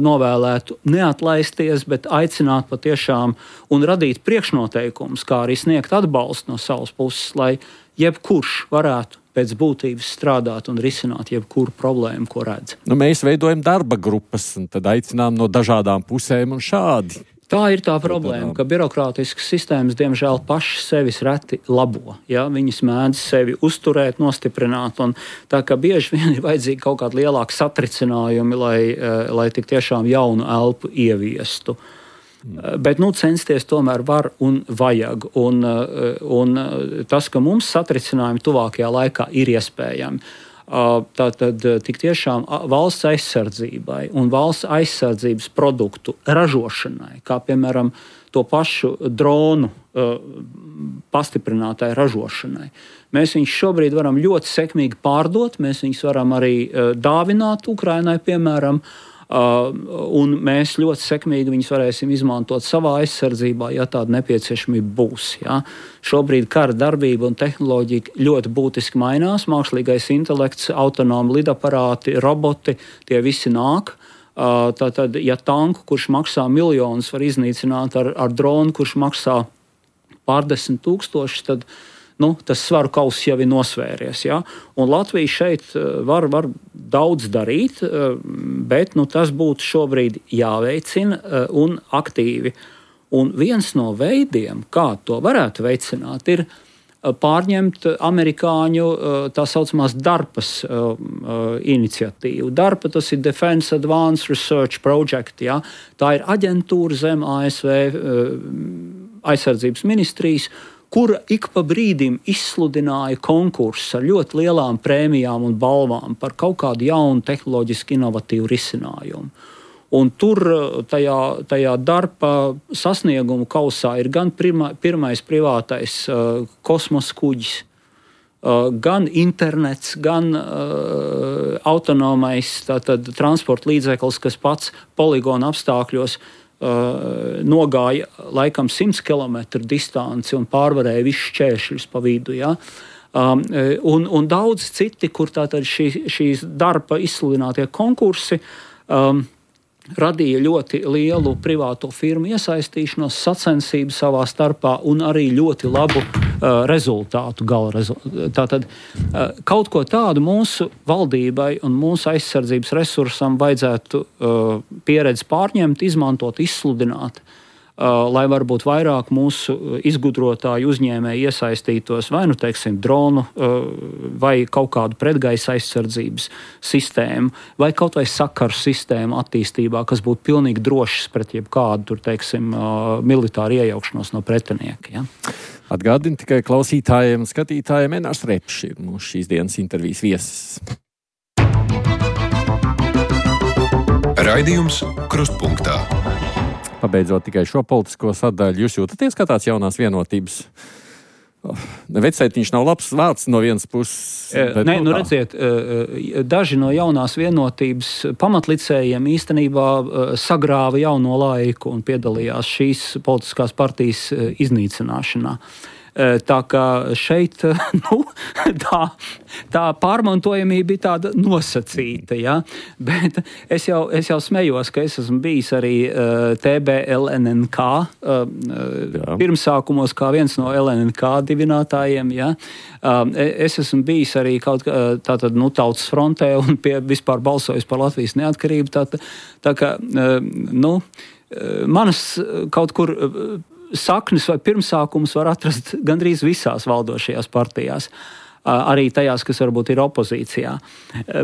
novēlētu neatlaisties, bet aicināt patiešām un radīt priekšnoteikumus, kā arī sniegt atbalstu no savas puses, lai jebkurš varētu pēc būtības strādāt un risināt jebkuru problēmu, ko redz. Nu, mēs veidojam darba grupas un tad aicinām no dažādām pusēm un šādi. Tā ir tā problēma, ka birokrātiskas sistēmas, diemžēl, pašas sevis reti labo. Ja? Viņas mēdz sevi uzturēt, nostiprināt, un tā kā bieži vien ir vajadzīgi kaut kādi lielāki satricinājumi, lai tik tiešām jaunu elpu ieviestu. Bet censties tomēr var un vajag. Un tas, ka mums satricinājumi tuvākajā laikā ir iespējami. Tātad tik tiešām valsts aizsardzībai un valsts aizsardzības produktu ražošanai, kā piemēram to pašu dronu pastiprinātai ražošanai. Mēs viņus šobrīd varam ļoti sekmīgi pārdot, mēs viņus varam arī dāvināt Ukrainai, piemēram, un mēs ļoti sekmīgi viņus varēsim izmantot savā aizsardzībā, ja tāda nepieciešamība būs. Ja. Šobrīd kara darbība un tehnoloģija ļoti būtiski mainās. Mākslīgais intelekts, autonomi lidaparāti, roboti, tie visi nāk. Tātad, ja tanku, kurš maksā miljonus, var iznīcināt ar dronu, kurš maksā pārdesmit tūkstošus, tad tas svaru kauss jau ir nosvēries. Ja? Un Latvija šeit var daudz darīt, bet tas būtu šobrīd jāveicina un aktīvi. Un viens no veidiem, kā to varētu veicināt, ir pārņemt amerikāņu tā saucamās DARPAS iniciatīvu. DARPA tas ir Defense Advanced Research Project. Ja? Tā ir aģentūra zem ASV aizsardzības ministrijas, kura ik pa brīdim izsludināja konkursus ar ļoti lielām prēmijām un balvām par kaut kādu jaunu tehnoloģiski inovatīvu risinājumu. Un tur tajā DARPA sasniegumu kausā ir gan pirmais privātais kosmosa kuģis, gan internets, gan autonomais transporta līdzeklis, kas pats poligona apstākļos nogāja laikam 100 km distanci un pārvarēja visus šķēršļus pa vidu. Ja? Un daudz citi, kur tātad šīs DARPA izsludinātie konkursi radīja ļoti lielu privāto firmu iesaistīšanos, sacensību savā starpā un arī ļoti labu rezultātu, gala rezultātu. Tātad kaut ko tādu mūsu valdībai un mūsu aizsardzības resursam vajadzētu pieredzi pārņemt, izmantot, izsludināt, lai varbūt vairāk mūsu izgudrotāju uzņēmēji iesaistītos vai, teiksim, dronu vai kaut kādu pretgaisa aizsardzības sistēmu vai kaut vai sakaru sistēmu attīstībā, kas būtu pilnīgi drošs pret jebkādu, tur, teiksim, militāru iejaukšanos no pretinieka. Ja? Atgādinu tikai klausītājiem un skatītājiem, Enārs Repšs ir mūsu šīs dienas intervijas viesis. Raidījums Krustpunktā. Pabeidzot tikai šo politisko sadaļu, jūs jūtaties kā tāds jaunās vienotības? Vecētiņš nav labs vārds no vienas puses. Bet, redziet, daži no jaunās vienotības pamatlicējiem īstenībā sagrāva jauno laiku un piedalījās šīs politiskās partijas iznīcināšanā. Tā kā šeit tā pārmantojamība bija tāda nosacīta. Ja? Bet es jau smējos, ka es esmu bijis arī TBLNNK pirmsākumos kā viens no LNNK dibinātājiem. Ja? Es esmu bijis arī Tautas frontē un vispār balsojis par Latvijas neatkarību. Tā kā manas kaut kur saknes vai pirmsākums var atrast gandrīz visās valdošajās partijās, arī tajās, kas varbūt ir opozīcijā.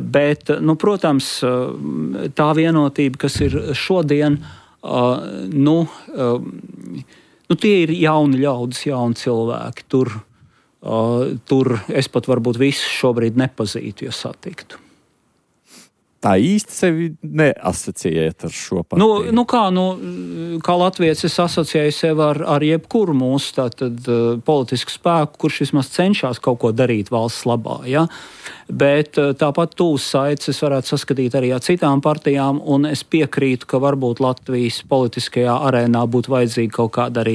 Bet, protams, tā vienotība, kas ir šodien, tie ir jauni ļaudis, jauni cilvēki. Tur es pat varbūt visus šobrīd nepazītu, ja satiktu. Tā īsti sevi neasociējat ar šo partiju? Kā latvietis es asociēju sevi ar jebkuru mūsu politisku spēku, kurš vismaz cenšas kaut ko darīt valsts labā. Ja? Bet tāpat tūs saites es varētu saskatīt arī ar citām partijām, un es piekrītu, ka varbūt Latvijas politiskajā arēnā būtu vajadzīgi kaut kāda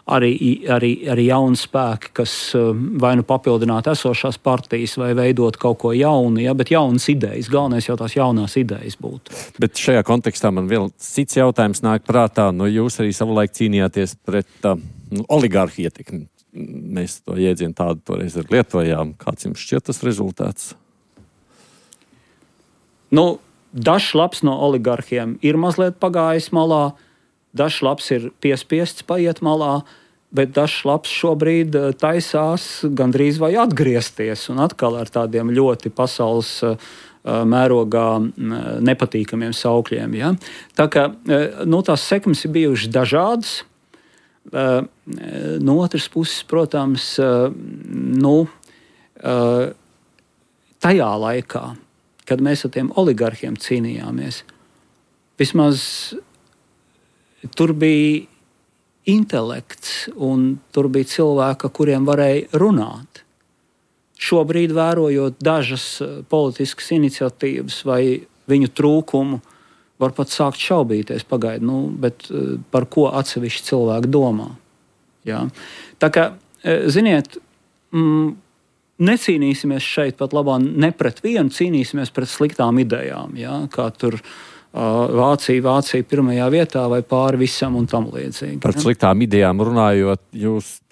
arī jauni spēki, kas vai papildinātu esošās partijas, vai veidot kaut ko jaunu, ja, bet jaunas idejas. Galvenais jau tās jaunās idejas būtu. Bet šajā kontekstā man vēl cits jautājums nāk prātā. Jūs arī savulaik cīnījāties pret oligarhu ietekmi. Mēs to jēdzienu tādu toreiz ar lietojām. Kāds jums šķiet tas rezultāts? Dažs labs no oligarhiem ir mazliet pagājis malā. Dažs labs ir piespiests paiet malā, bet dažs labs šobrīd taisās gandrīz vai atgriezties un atkal ar tādiem ļoti pasaules mērogā nepatīkamiem saukļiem. Ja? Tā kā tās sekmes ir bijušas dažādas. No otras puses, protams, tajā laikā, kad mēs ar tiem oligarhiem cīnījāmies, vismaz tur bija intelekts un tur bija cilvēki, kuriem varēja runāt. Šobrīd, vērojot dažas politiskas iniciatīvas vai viņu trūkumu, var pat sākt šaubīties bet par ko atsevišķi cilvēki domā. Ja? Tā kā, ziniet, necīnīsimies šeit pat labā ne pret vienu, cīnīsimies pret sliktām idejām, ja? Kā tur Vācija pirmajā vietā vai pāri visam un tam līdzīgi. Par sliktām idejām runājot,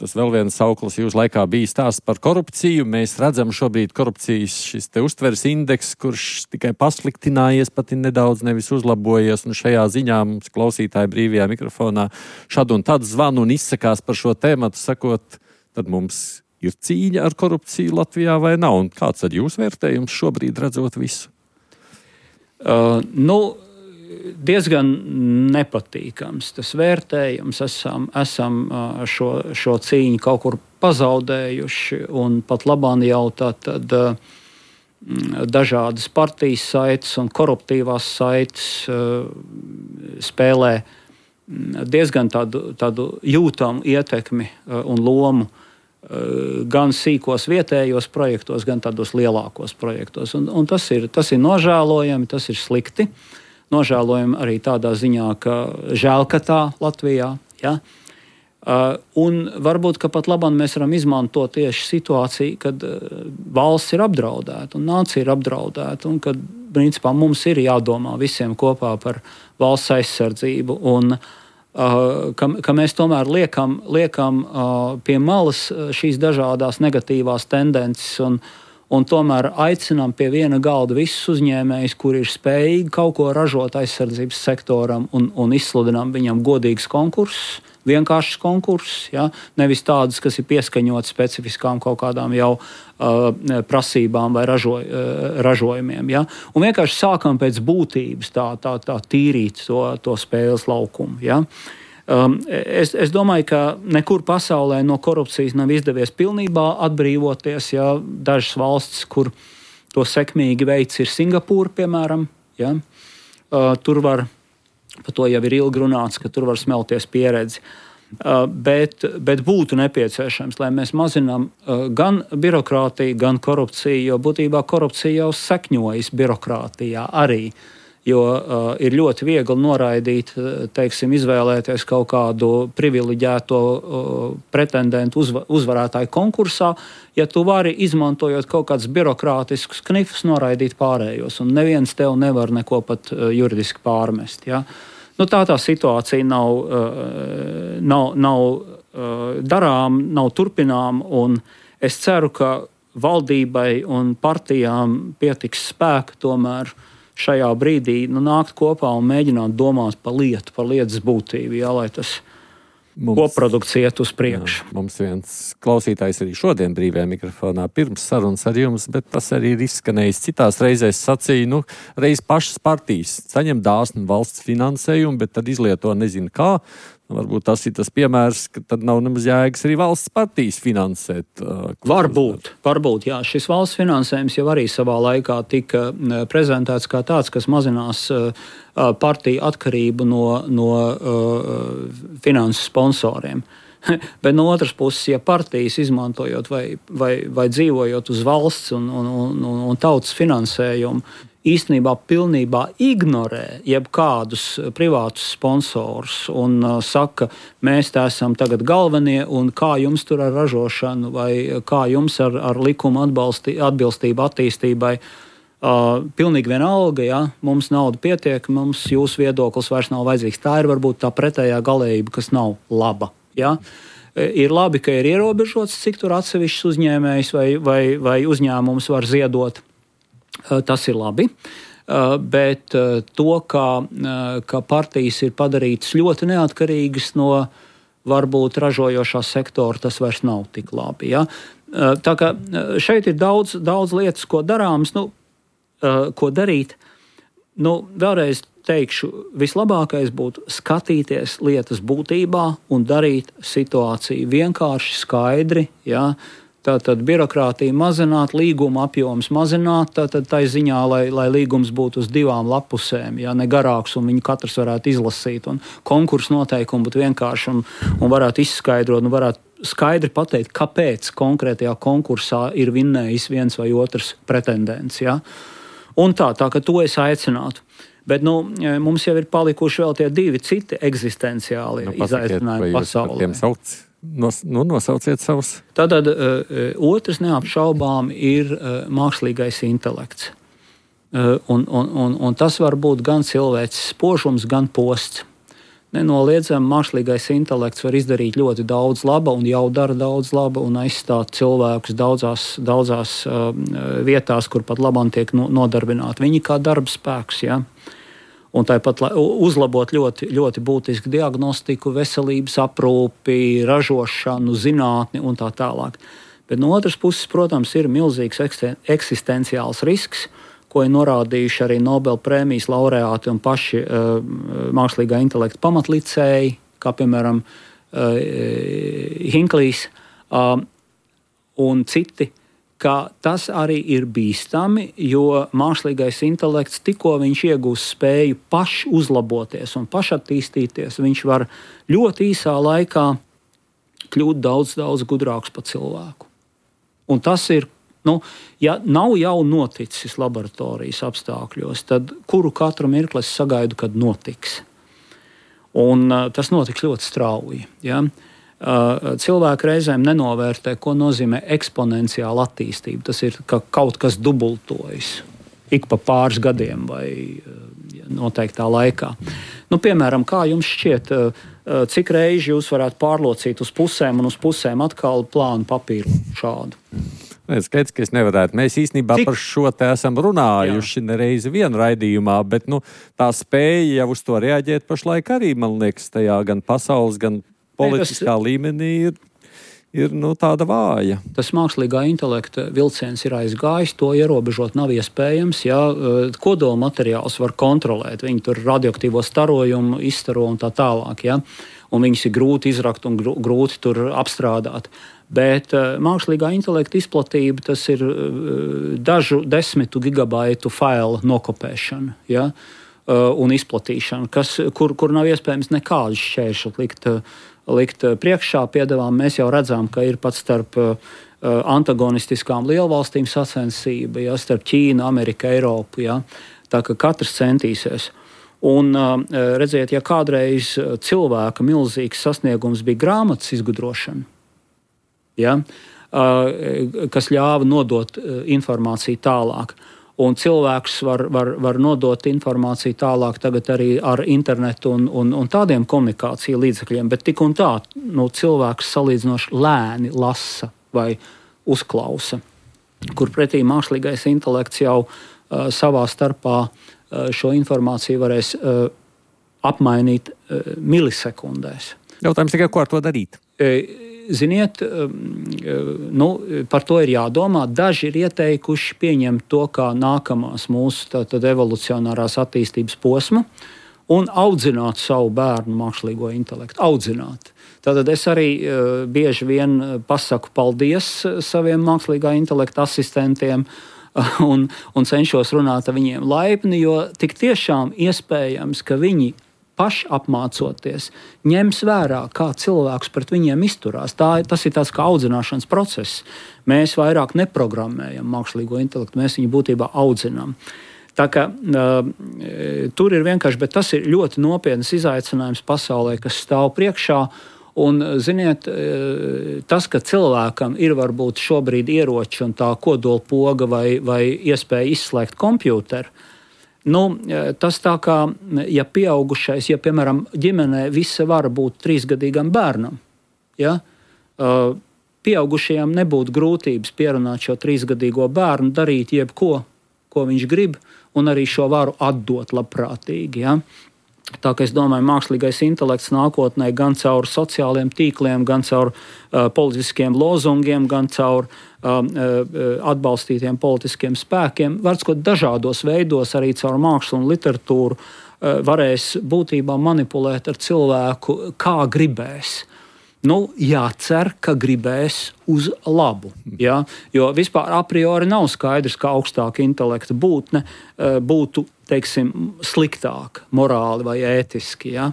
tas vēl viens sauklis jūs laikā bija stāsts par korupciju. Mēs redzam šobrīd korupcijas šis te uztveres indeks, kurš tikai pasliktinājies, pat nedaudz nevis uzlabojies. Un šajā ziņā mums klausītāji brīvajā mikrofonā šad un tad zvanu un izsakās par šo tēmatu, sakot, tad mums Ir cīņa ar korupciju Latvijā vai nav? Un kāds ir jūsu vērtējums šobrīd redzot visu? Diezgan nepatīkams tas vērtējums. Esam šo cīņu kaut kur pazaudējuši, un pat labāk jau tad dažādas partijas saites un koruptīvās saites spēlē diezgan tādu jūtamu ietekmi un lomu gan sīkos vietējos projektos, gan tādos lielākos projektos. Un tas ir nožēlojami, tas ir slikti. Nožēlojami arī tādā ziņā, ka žēl, ka tā Latvijā. Ja? Un varbūt, ka pat labāk mēs varam izmantot tieši situāciju, kad valsts ir apdraudēta un nācija ir apdraudēta, un kad principā mums ir jādomā visiem kopā par valsts aizsardzību. Un ka mēs tomēr liekam pie malas šīs dažādās negatīvās tendences un tomēr aicinām pie viena galda visus uzņēmējus, kuri ir spējīgi kaut ko ražot aizsardzības sektoram un izsludinām viņam godīgus konkursus, vienkāršus konkursus, ja? Nevis tādus, kas ir pieskaņoti specifiskām kaut kādām jau prasībām vai ražojumiem. Ja? Un vienkārši sākam pēc būtības tā tīrīt to spēles laukumu. Ja? Es domāju, ka nekur pasaulē no korupcijas nav izdevies pilnībā atbrīvoties. Ja? Dažas valstis, kur to sekmīgi veids, ir Singapūra, piemēram. Ja? Tur var, par to jau ir ilgi runāts, ka tur var smelties pieredzi. Bet būtu nepieciešams, lai mēs mazinām gan birokrātiju, gan korupciju, jo būtībā korupcija jau sakņojas birokrātijā arī. Jo ir ļoti viegli noraidīt, izvēlēties kaut kādu privileģēto pretendentu uzvarētāju konkursā, ja tu vari, izmantojot kaut kādus birokrātiskus knifus, noraidīt pārējos. Un neviens tev nevar neko pat juridiski pārmest. Ja? Tā situācija nav darām, nav turpinām, un es ceru, ka valdībai un partijām pietiks spēka tomēr šajā brīdī nākt kopā un mēģināt domāt par lietas būtību, jā, lai tas koprodukts iet uz priekšu. Mums viens klausītājs arī šodien brīvajā mikrofonā pirms sarunas ar jums, bet tas arī ir izskanējis citās reizēs sacīja, reiz pašas partijas saņem dāsnu valsts finansējumu, bet tad izlieto nezinu kā. Varbūt tas ir tas piemērs, ka tad nav nemaz jēgas arī valsts partijas finansēt. Varbūt, jā. Šis valsts finansējums jau arī savā laikā tika prezentēts kā tāds, kas mazinās partiju atkarību no finanses sponsoriem. Bet no otras puses, ja partijas izmantojot vai dzīvojot uz valsts un tautas finansējumu, īstenībā pilnībā ignorē jebkādus privātus sponsorus un saka, mēs te esam tagad galvenie un kā jums tur ar ražošanu vai kā jums ar likuma atbilstību attīstībai. Pilnīgi vienalga, ja mums nauda pietiek, mums jūsu viedoklis vairs nav vajadzīgs. Tā ir varbūt tā pretējā galējība, kas nav laba. Ja? Ir labi, ka ir ierobežots, cik tur atsevišķs uzņēmējs vai uzņēmums var ziedot. Tas ir labi, bet to, ka partijas ir padarītas ļoti neatkarīgas no varbūt ražojošā sektora, tas vairs nav tik labi. Ja? Tā kā šeit ir daudz lietas, ko darāms, ko darīt. Vēlreiz teikšu, vislabākais būtu skatīties lietas būtībā un darīt situāciju vienkārši, skaidri, ja? Tātad birokrātija mazināt, līguma apjoms mazināt, tātad tai ziņā, lai līgums būtu uz 2 lapusēm, ja ne garāks, un viņi katrs varētu izlasīt, un konkursu noteikumi būtu vienkārši un varētu izskaidrot, un varētu skaidri pateikt, kāpēc konkrētajā konkursā ir vinnējis viens vai otrs pretendents. Ja? Un tā ka to es aicinātu. Bet mums jau ir palikuši vēl tie 2 citi eksistenciāli izaicinājumi pasaulē. Nosauciet savus. Tātad otrs neapšaubām ir mākslīgais intelekts. Un tas var būt gan cilvēks spožums, gan posts. Nenoliedzami mākslīgais intelekts var izdarīt ļoti daudz laba un jau dara daudz laba un aizstāt cilvēkus daudzās vietās, kur pat labāk tiek nodarbināti. Viņi kā darba spēks, ja? Un tāpat uzlabot ļoti, ļoti būtisku diagnostiku, veselības aprūpi, ražošanu, zinātni un tā tālāk. Bet no otras puses, protams, ir milzīgs eksistenciāls risks, ko ir norādījuši arī Nobel prēmijas laureāti un paši mākslīgā intelekta pamatlicēji, kā piemēram Hinklīs un citi, ka tas arī ir bīstami, jo mākslīgais intelekts tikko viņš iegūst spēju paši uzlaboties un pašattīstīties, viņš var ļoti īsā laikā kļūt daudz, daudz gudrāks par cilvēku. Un tas ir, ja nav jau noticis laboratorijas apstākļos, tad kuru katru mirkli es sagaidu, kad notiks. Un tas notiks ļoti strauji. Ja? Cilvēki reizēm nenovērtē, ko nozīmē eksponenciāla attīstība. Tas ir, ka kaut kas dubultojas ik pa pāris gadiem vai noteiktā laikā. Piemēram, kā jums šķiet, cik reizi jūs varētu pārlocīt uz pusēm un uz pusēm atkal plānu papīru šādu? Skaidrs, ka es nevarētu. Mēs īstenībā par šo te esam runājuši nereizi vienu raidījumā, bet tā spēja jau uz to reaģēt pašlaik arī, man liekas, tajā gan pasaules, gan politiskā līmenī ir tāda vāja. Tas mākslīgā intelekta vilciens ir aizgājis, to ierobežot nav iespējams. Ja, kodola materiāls var kontrolēt, viņi tur radioaktīvo starojumu izstaro un tā tālāk. Ja, un viņus ir grūti izrakt un grūti tur apstrādāt. Bet mākslīgā intelekta izplatība, tas ir dažu desmitu gigabaitu failu nokopēšana, ja, un izplatīšana, kur nav iespējams nekādus šķēršļus likt priekšā. Piedevām mēs jau redzam, ka ir pat starp antagonistiskām lielvalstīm sacensība, ja, starp Ķīnu, Ameriku, Eiropu. Ja, tā ka katrs centīsies. Un redziet, ja kādreiz cilvēka milzīgs sasniegums bija grāmatas izgudrošana, ja, kas ļāva nodot informāciju tālāk. Un cilvēks var nodot informāciju tālāk tagad arī ar internetu un tādiem komunikāciju līdzekļiem, bet tik un tā cilvēks salīdzinoši lēni lasa vai uzklausa, kur pretī mākslīgais intelekts jau savā starpā šo informāciju varēs apmainīt milisekundēs. Jautājums tikai, ko ar to darīt? Ziniet, par to ir jādomā. Daži ir ieteikuši pieņemt to kā nākamās mūsu evolucionārās attīstības posmu un audzināt savu bērnu mākslīgo intelektu. Audzināt. Tātad es arī bieži vien pasaku paldies saviem mākslīgā intelekta asistentiem un cenšos runāt ar viņiem laipni, jo tik tiešām iespējams, ka viņi paši apmācoties, ņems vērā, kā cilvēks pret viņiem izturās. Tas ir tāds kā audzināšanas process. Mēs vairāk neprogrammējam mākslīgo intelektu, mēs viņu būtībā audzinām. Tā kā tur ir vienkārši, bet tas ir ļoti nopietns izaicinājums pasaulē, kas stāv priekšā. Un, ziniet, tas, ka cilvēkam ir varbūt šobrīd ieroči un tā kodolpoga vai iespēja izslēgt kompjūteru, tas tā kā, ja pieaugušais, ja, piemēram, ģimenē visa vara būt 3-gadīgam bērnam, ja, pieaugušajam nebūtu grūtības pierunāt šo 3-gadīgo bērnu, darīt jebko, ko viņš grib, un arī šo varu atdot labprātīgi, ja. Tā kā es domāju, mākslīgais intelekts nākotnē gan caur sociāliem tīkliem, gan caur politiskiem lozungiem, gan caur atbalstītiem politiskiem spēkiem, varbūt dažādos veidos arī caur mākslu un literatūru varēs būtībā manipulēt ar cilvēku, kā gribēs. Jācer, ka gribēs uz labu. Ja? Jo vispār a priori nav skaidrs, ka augstāka intelekta būtne būtu, teiksim, sliktāka morāli vai ētiski. Ja?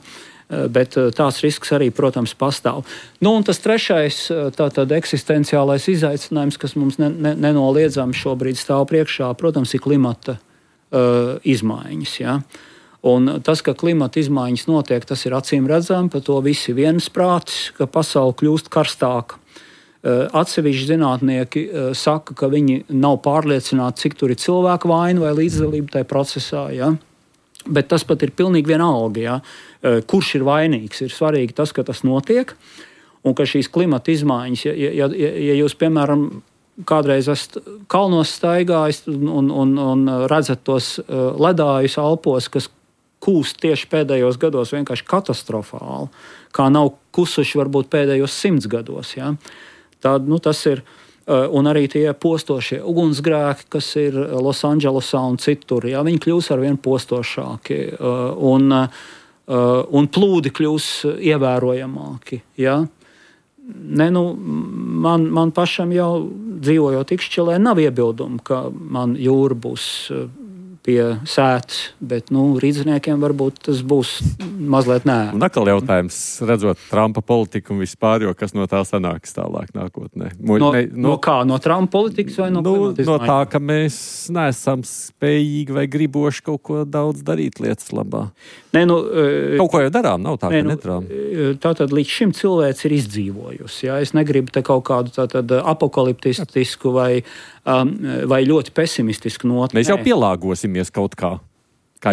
Bet tās risks arī, protams, pastāv. Un tas trešais, tātad eksistenciālais izaicinājums, kas mums nenoliedzami šobrīd stāv priekšā, protams, ir klimata izmaiņas. Ja? Un tas, ka klimata izmaiņas notiek, tas ir acīm redzami, par to visi viensprātis, ka pasaule kļūst karstāka. Atsevišķi zinātnieki saka, ka viņi nav pārliecināti, cik tur ir cilvēku vaina vai līdzdalība tajā procesā. Ja? Bet tas pat ir pilnīgi vienalga, ja? Kurš ir vainīgs. Ir svarīgi tas, ka tas notiek un ka šīs klimata izmaiņas, ja jūs, piemēram, kādreiz esat kalnos staigājis un redzat tos ledājus Alpos, kas kūst tieši pēdējos gados vienkārši katastrofāli, kā nav kusuši varbūt pēdējos 100 gados. Ja? Tas ir Un arī tie postošie ugunsgrēki, kas ir Losandželosā un citur, jā, viņi kļūs arvien postošāki un plūdi kļūs ievērojamāki. Jā. Man pašam jau dzīvojot Ikšķelē nav iebildumu, ka man jūra būs pie sētas, bet rīdzniekiem varbūt tas būs mazliet nē. Un atkal jautājums, redzot Trumpa politiku un vispār, jo kas no tā sanāks tālāk nākotnē? No kā? No Trumpa politikas vai no klimata izmaiņu? No tā, ka mēs neesam spējīgi vai griboši kaut ko daudz darīt lietas labā. Kaut ko jau darām, nav tā, ka nedarām. Tātad līdz šim cilvēks ir izdzīvojusi. Ja? Es negribu te kaut kādu apokaliptistisku vai ļoti pesimistisku notu. Mēs jau pielāgosimies kaut kā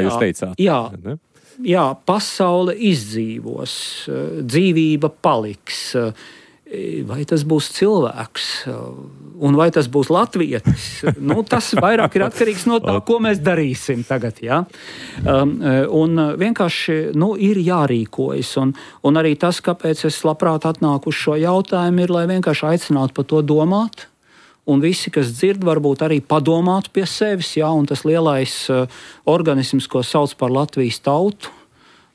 jūs teicāt. Jā, pasaule izdzīvos, dzīvība paliks. Vai tas būs cilvēks, un vai tas būs latvietis? Tas vairāk ir atkarīgs no tā, ko mēs darīsim tagad. Ja? Un vienkārši ir jārīkojas. Un arī tas, kāpēc es labprāt atnāku uz šo jautājumu, ir, lai vienkārši aicinātu par to domāt. Un visi, kas dzird, varbūt arī padomāt pie sevis. Ja? Un tas lielais organisms, ko sauc par Latvijas tautu,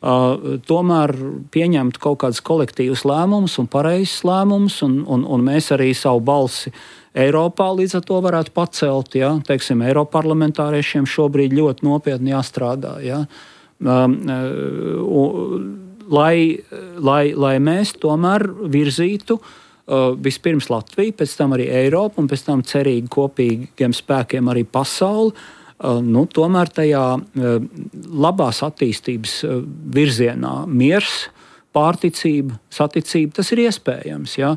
tomēr pieņemt kaut kādus kolektīvus lēmumus un pareizus lēmumus, un mēs arī savu balsi Eiropā līdz ar to varētu pacelt. Ja? Teiksim, Eiroparlamentāriešiem šobrīd ļoti nopietni jāstrādā. Ja? Lai mēs tomēr virzītu vispirms Latviju, pēc tam arī Eiropu un pēc tam cerīgi kopīgiem spēkiem arī pasauli, tomēr tajā labās attīstības virzienā miers, pārticība, saticība, tas ir iespējams. Ja?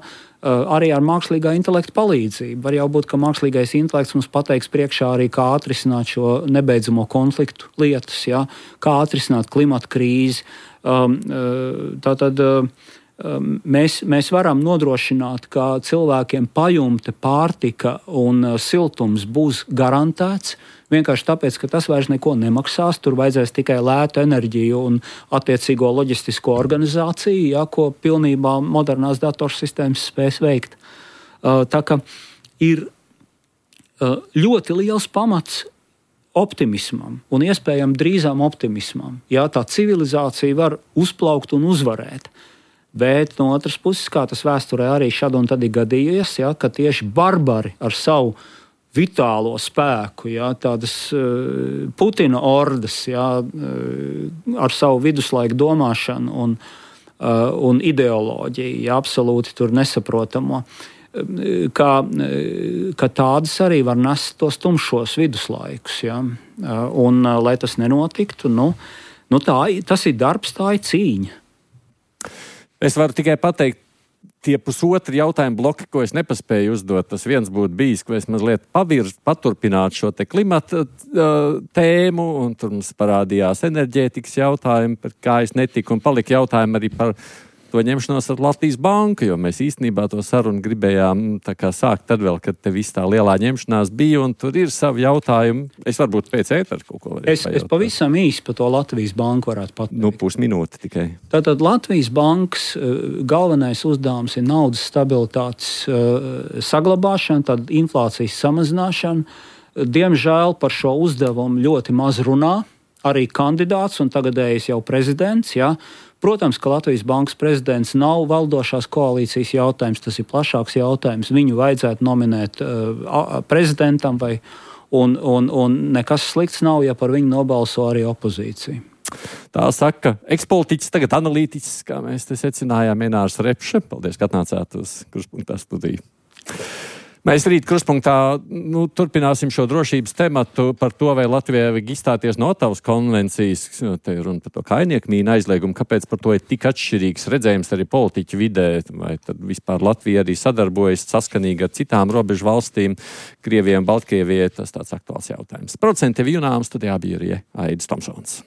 Arī ar mākslīgā intelekta palīdzību. Var jau būt, ka mākslīgais intelekts mums pateiks priekšā arī, kā atrisināt šo nebeidzamo konfliktu lietas, ja? Kā atrisināt klimata krīzi. Mēs varam nodrošināt, ka cilvēkiem pajumte, pārtika un siltums būs garantēts. Vienkārši tāpēc, ka tas vairs neko nemaksās. Tur vajadzēs tikai lētu enerģiju un attiecīgo loģistisko organizāciju, ja, ko pilnībā modernās datorsistēmas spēs veikt. Tā kā ir ļoti liels pamats optimismam un iespējami drīzām optimismam. Ja, tā civilizācija var uzplaukt un uzvarēt. Bet no otras puses, kā tas vēsturē arī šad un tad ir gadījies, ja, ka tieši barbari ar savu vitālo spēku, ja, tādas Putina ordas, ja, ar savu viduslaiku domāšanu un ideoloģiju, ja, absolūti tur nesaprotamo, ka tādas arī var nest tos tumšos viduslaikus. Ja, un, lai tas nenotiktu, tas ir darbs, tā ir cīņa. Es varu tikai pateikt, tie pusotri jautājumu bloki, ko es nepaspēju uzdot, tas viens būtu bijis, ko es mazliet paturpinātu šo te klimata tēmu, un tur mums parādījās enerģētikas jautājumi, par kā es netiku, un palika jautājumi arī par to ņemšanos ar Latvijas banku, jo mēs īstenībā to sarunu gribējām sākt tad vēl, kad te viss tā lielā ņemšanās bija, un tur ir savi jautājumi. Es varbūt pēc ētera kaut ko varētu pajautāt. Es pavisam īsi par to Latvijas banku varētu pateikt. Pusminūte tikai. Tātad Latvijas bankas galvenais uzdevums ir naudas stabilitātes saglabāšana, tad inflācijas samazināšana. Diemžēl par šo uzdevumu ļoti maz runā arī kandidāts un tagadējais jau prezidents, ja. Protams, ka Latvijas bankas prezidents nav valdošās koalīcijas jautājums, tas ir plašāks jautājums. Viņu vajadzētu nominēt prezidentam, un nekas slikts nav, ja par viņu nobalso arī opozīcija. Tā saka ekspolitiķis, tagad analītiķis, kā mēs te secinājām, Inārs Repše. Paldies, ka atnācāt uz Kruspunktā studiju. Mēs rīt Kruspunktā turpināsim šo drošības tematu par to, vai Latvijai vajag izstāties no Ottavas konvencijas. Te ir runa par to kainieku mīnu aizliegumu. Kāpēc par to ir tik atšķirīgs redzējums arī politiķu vidē? Vai tad vispār Latvija arī sadarbojas saskanīgi ar citām robežu valstīm, Krievijai un Baltkrievijai? Tas tāds aktuāls jautājums. Producenti Junām studijā bija arī Aidis Tomsons.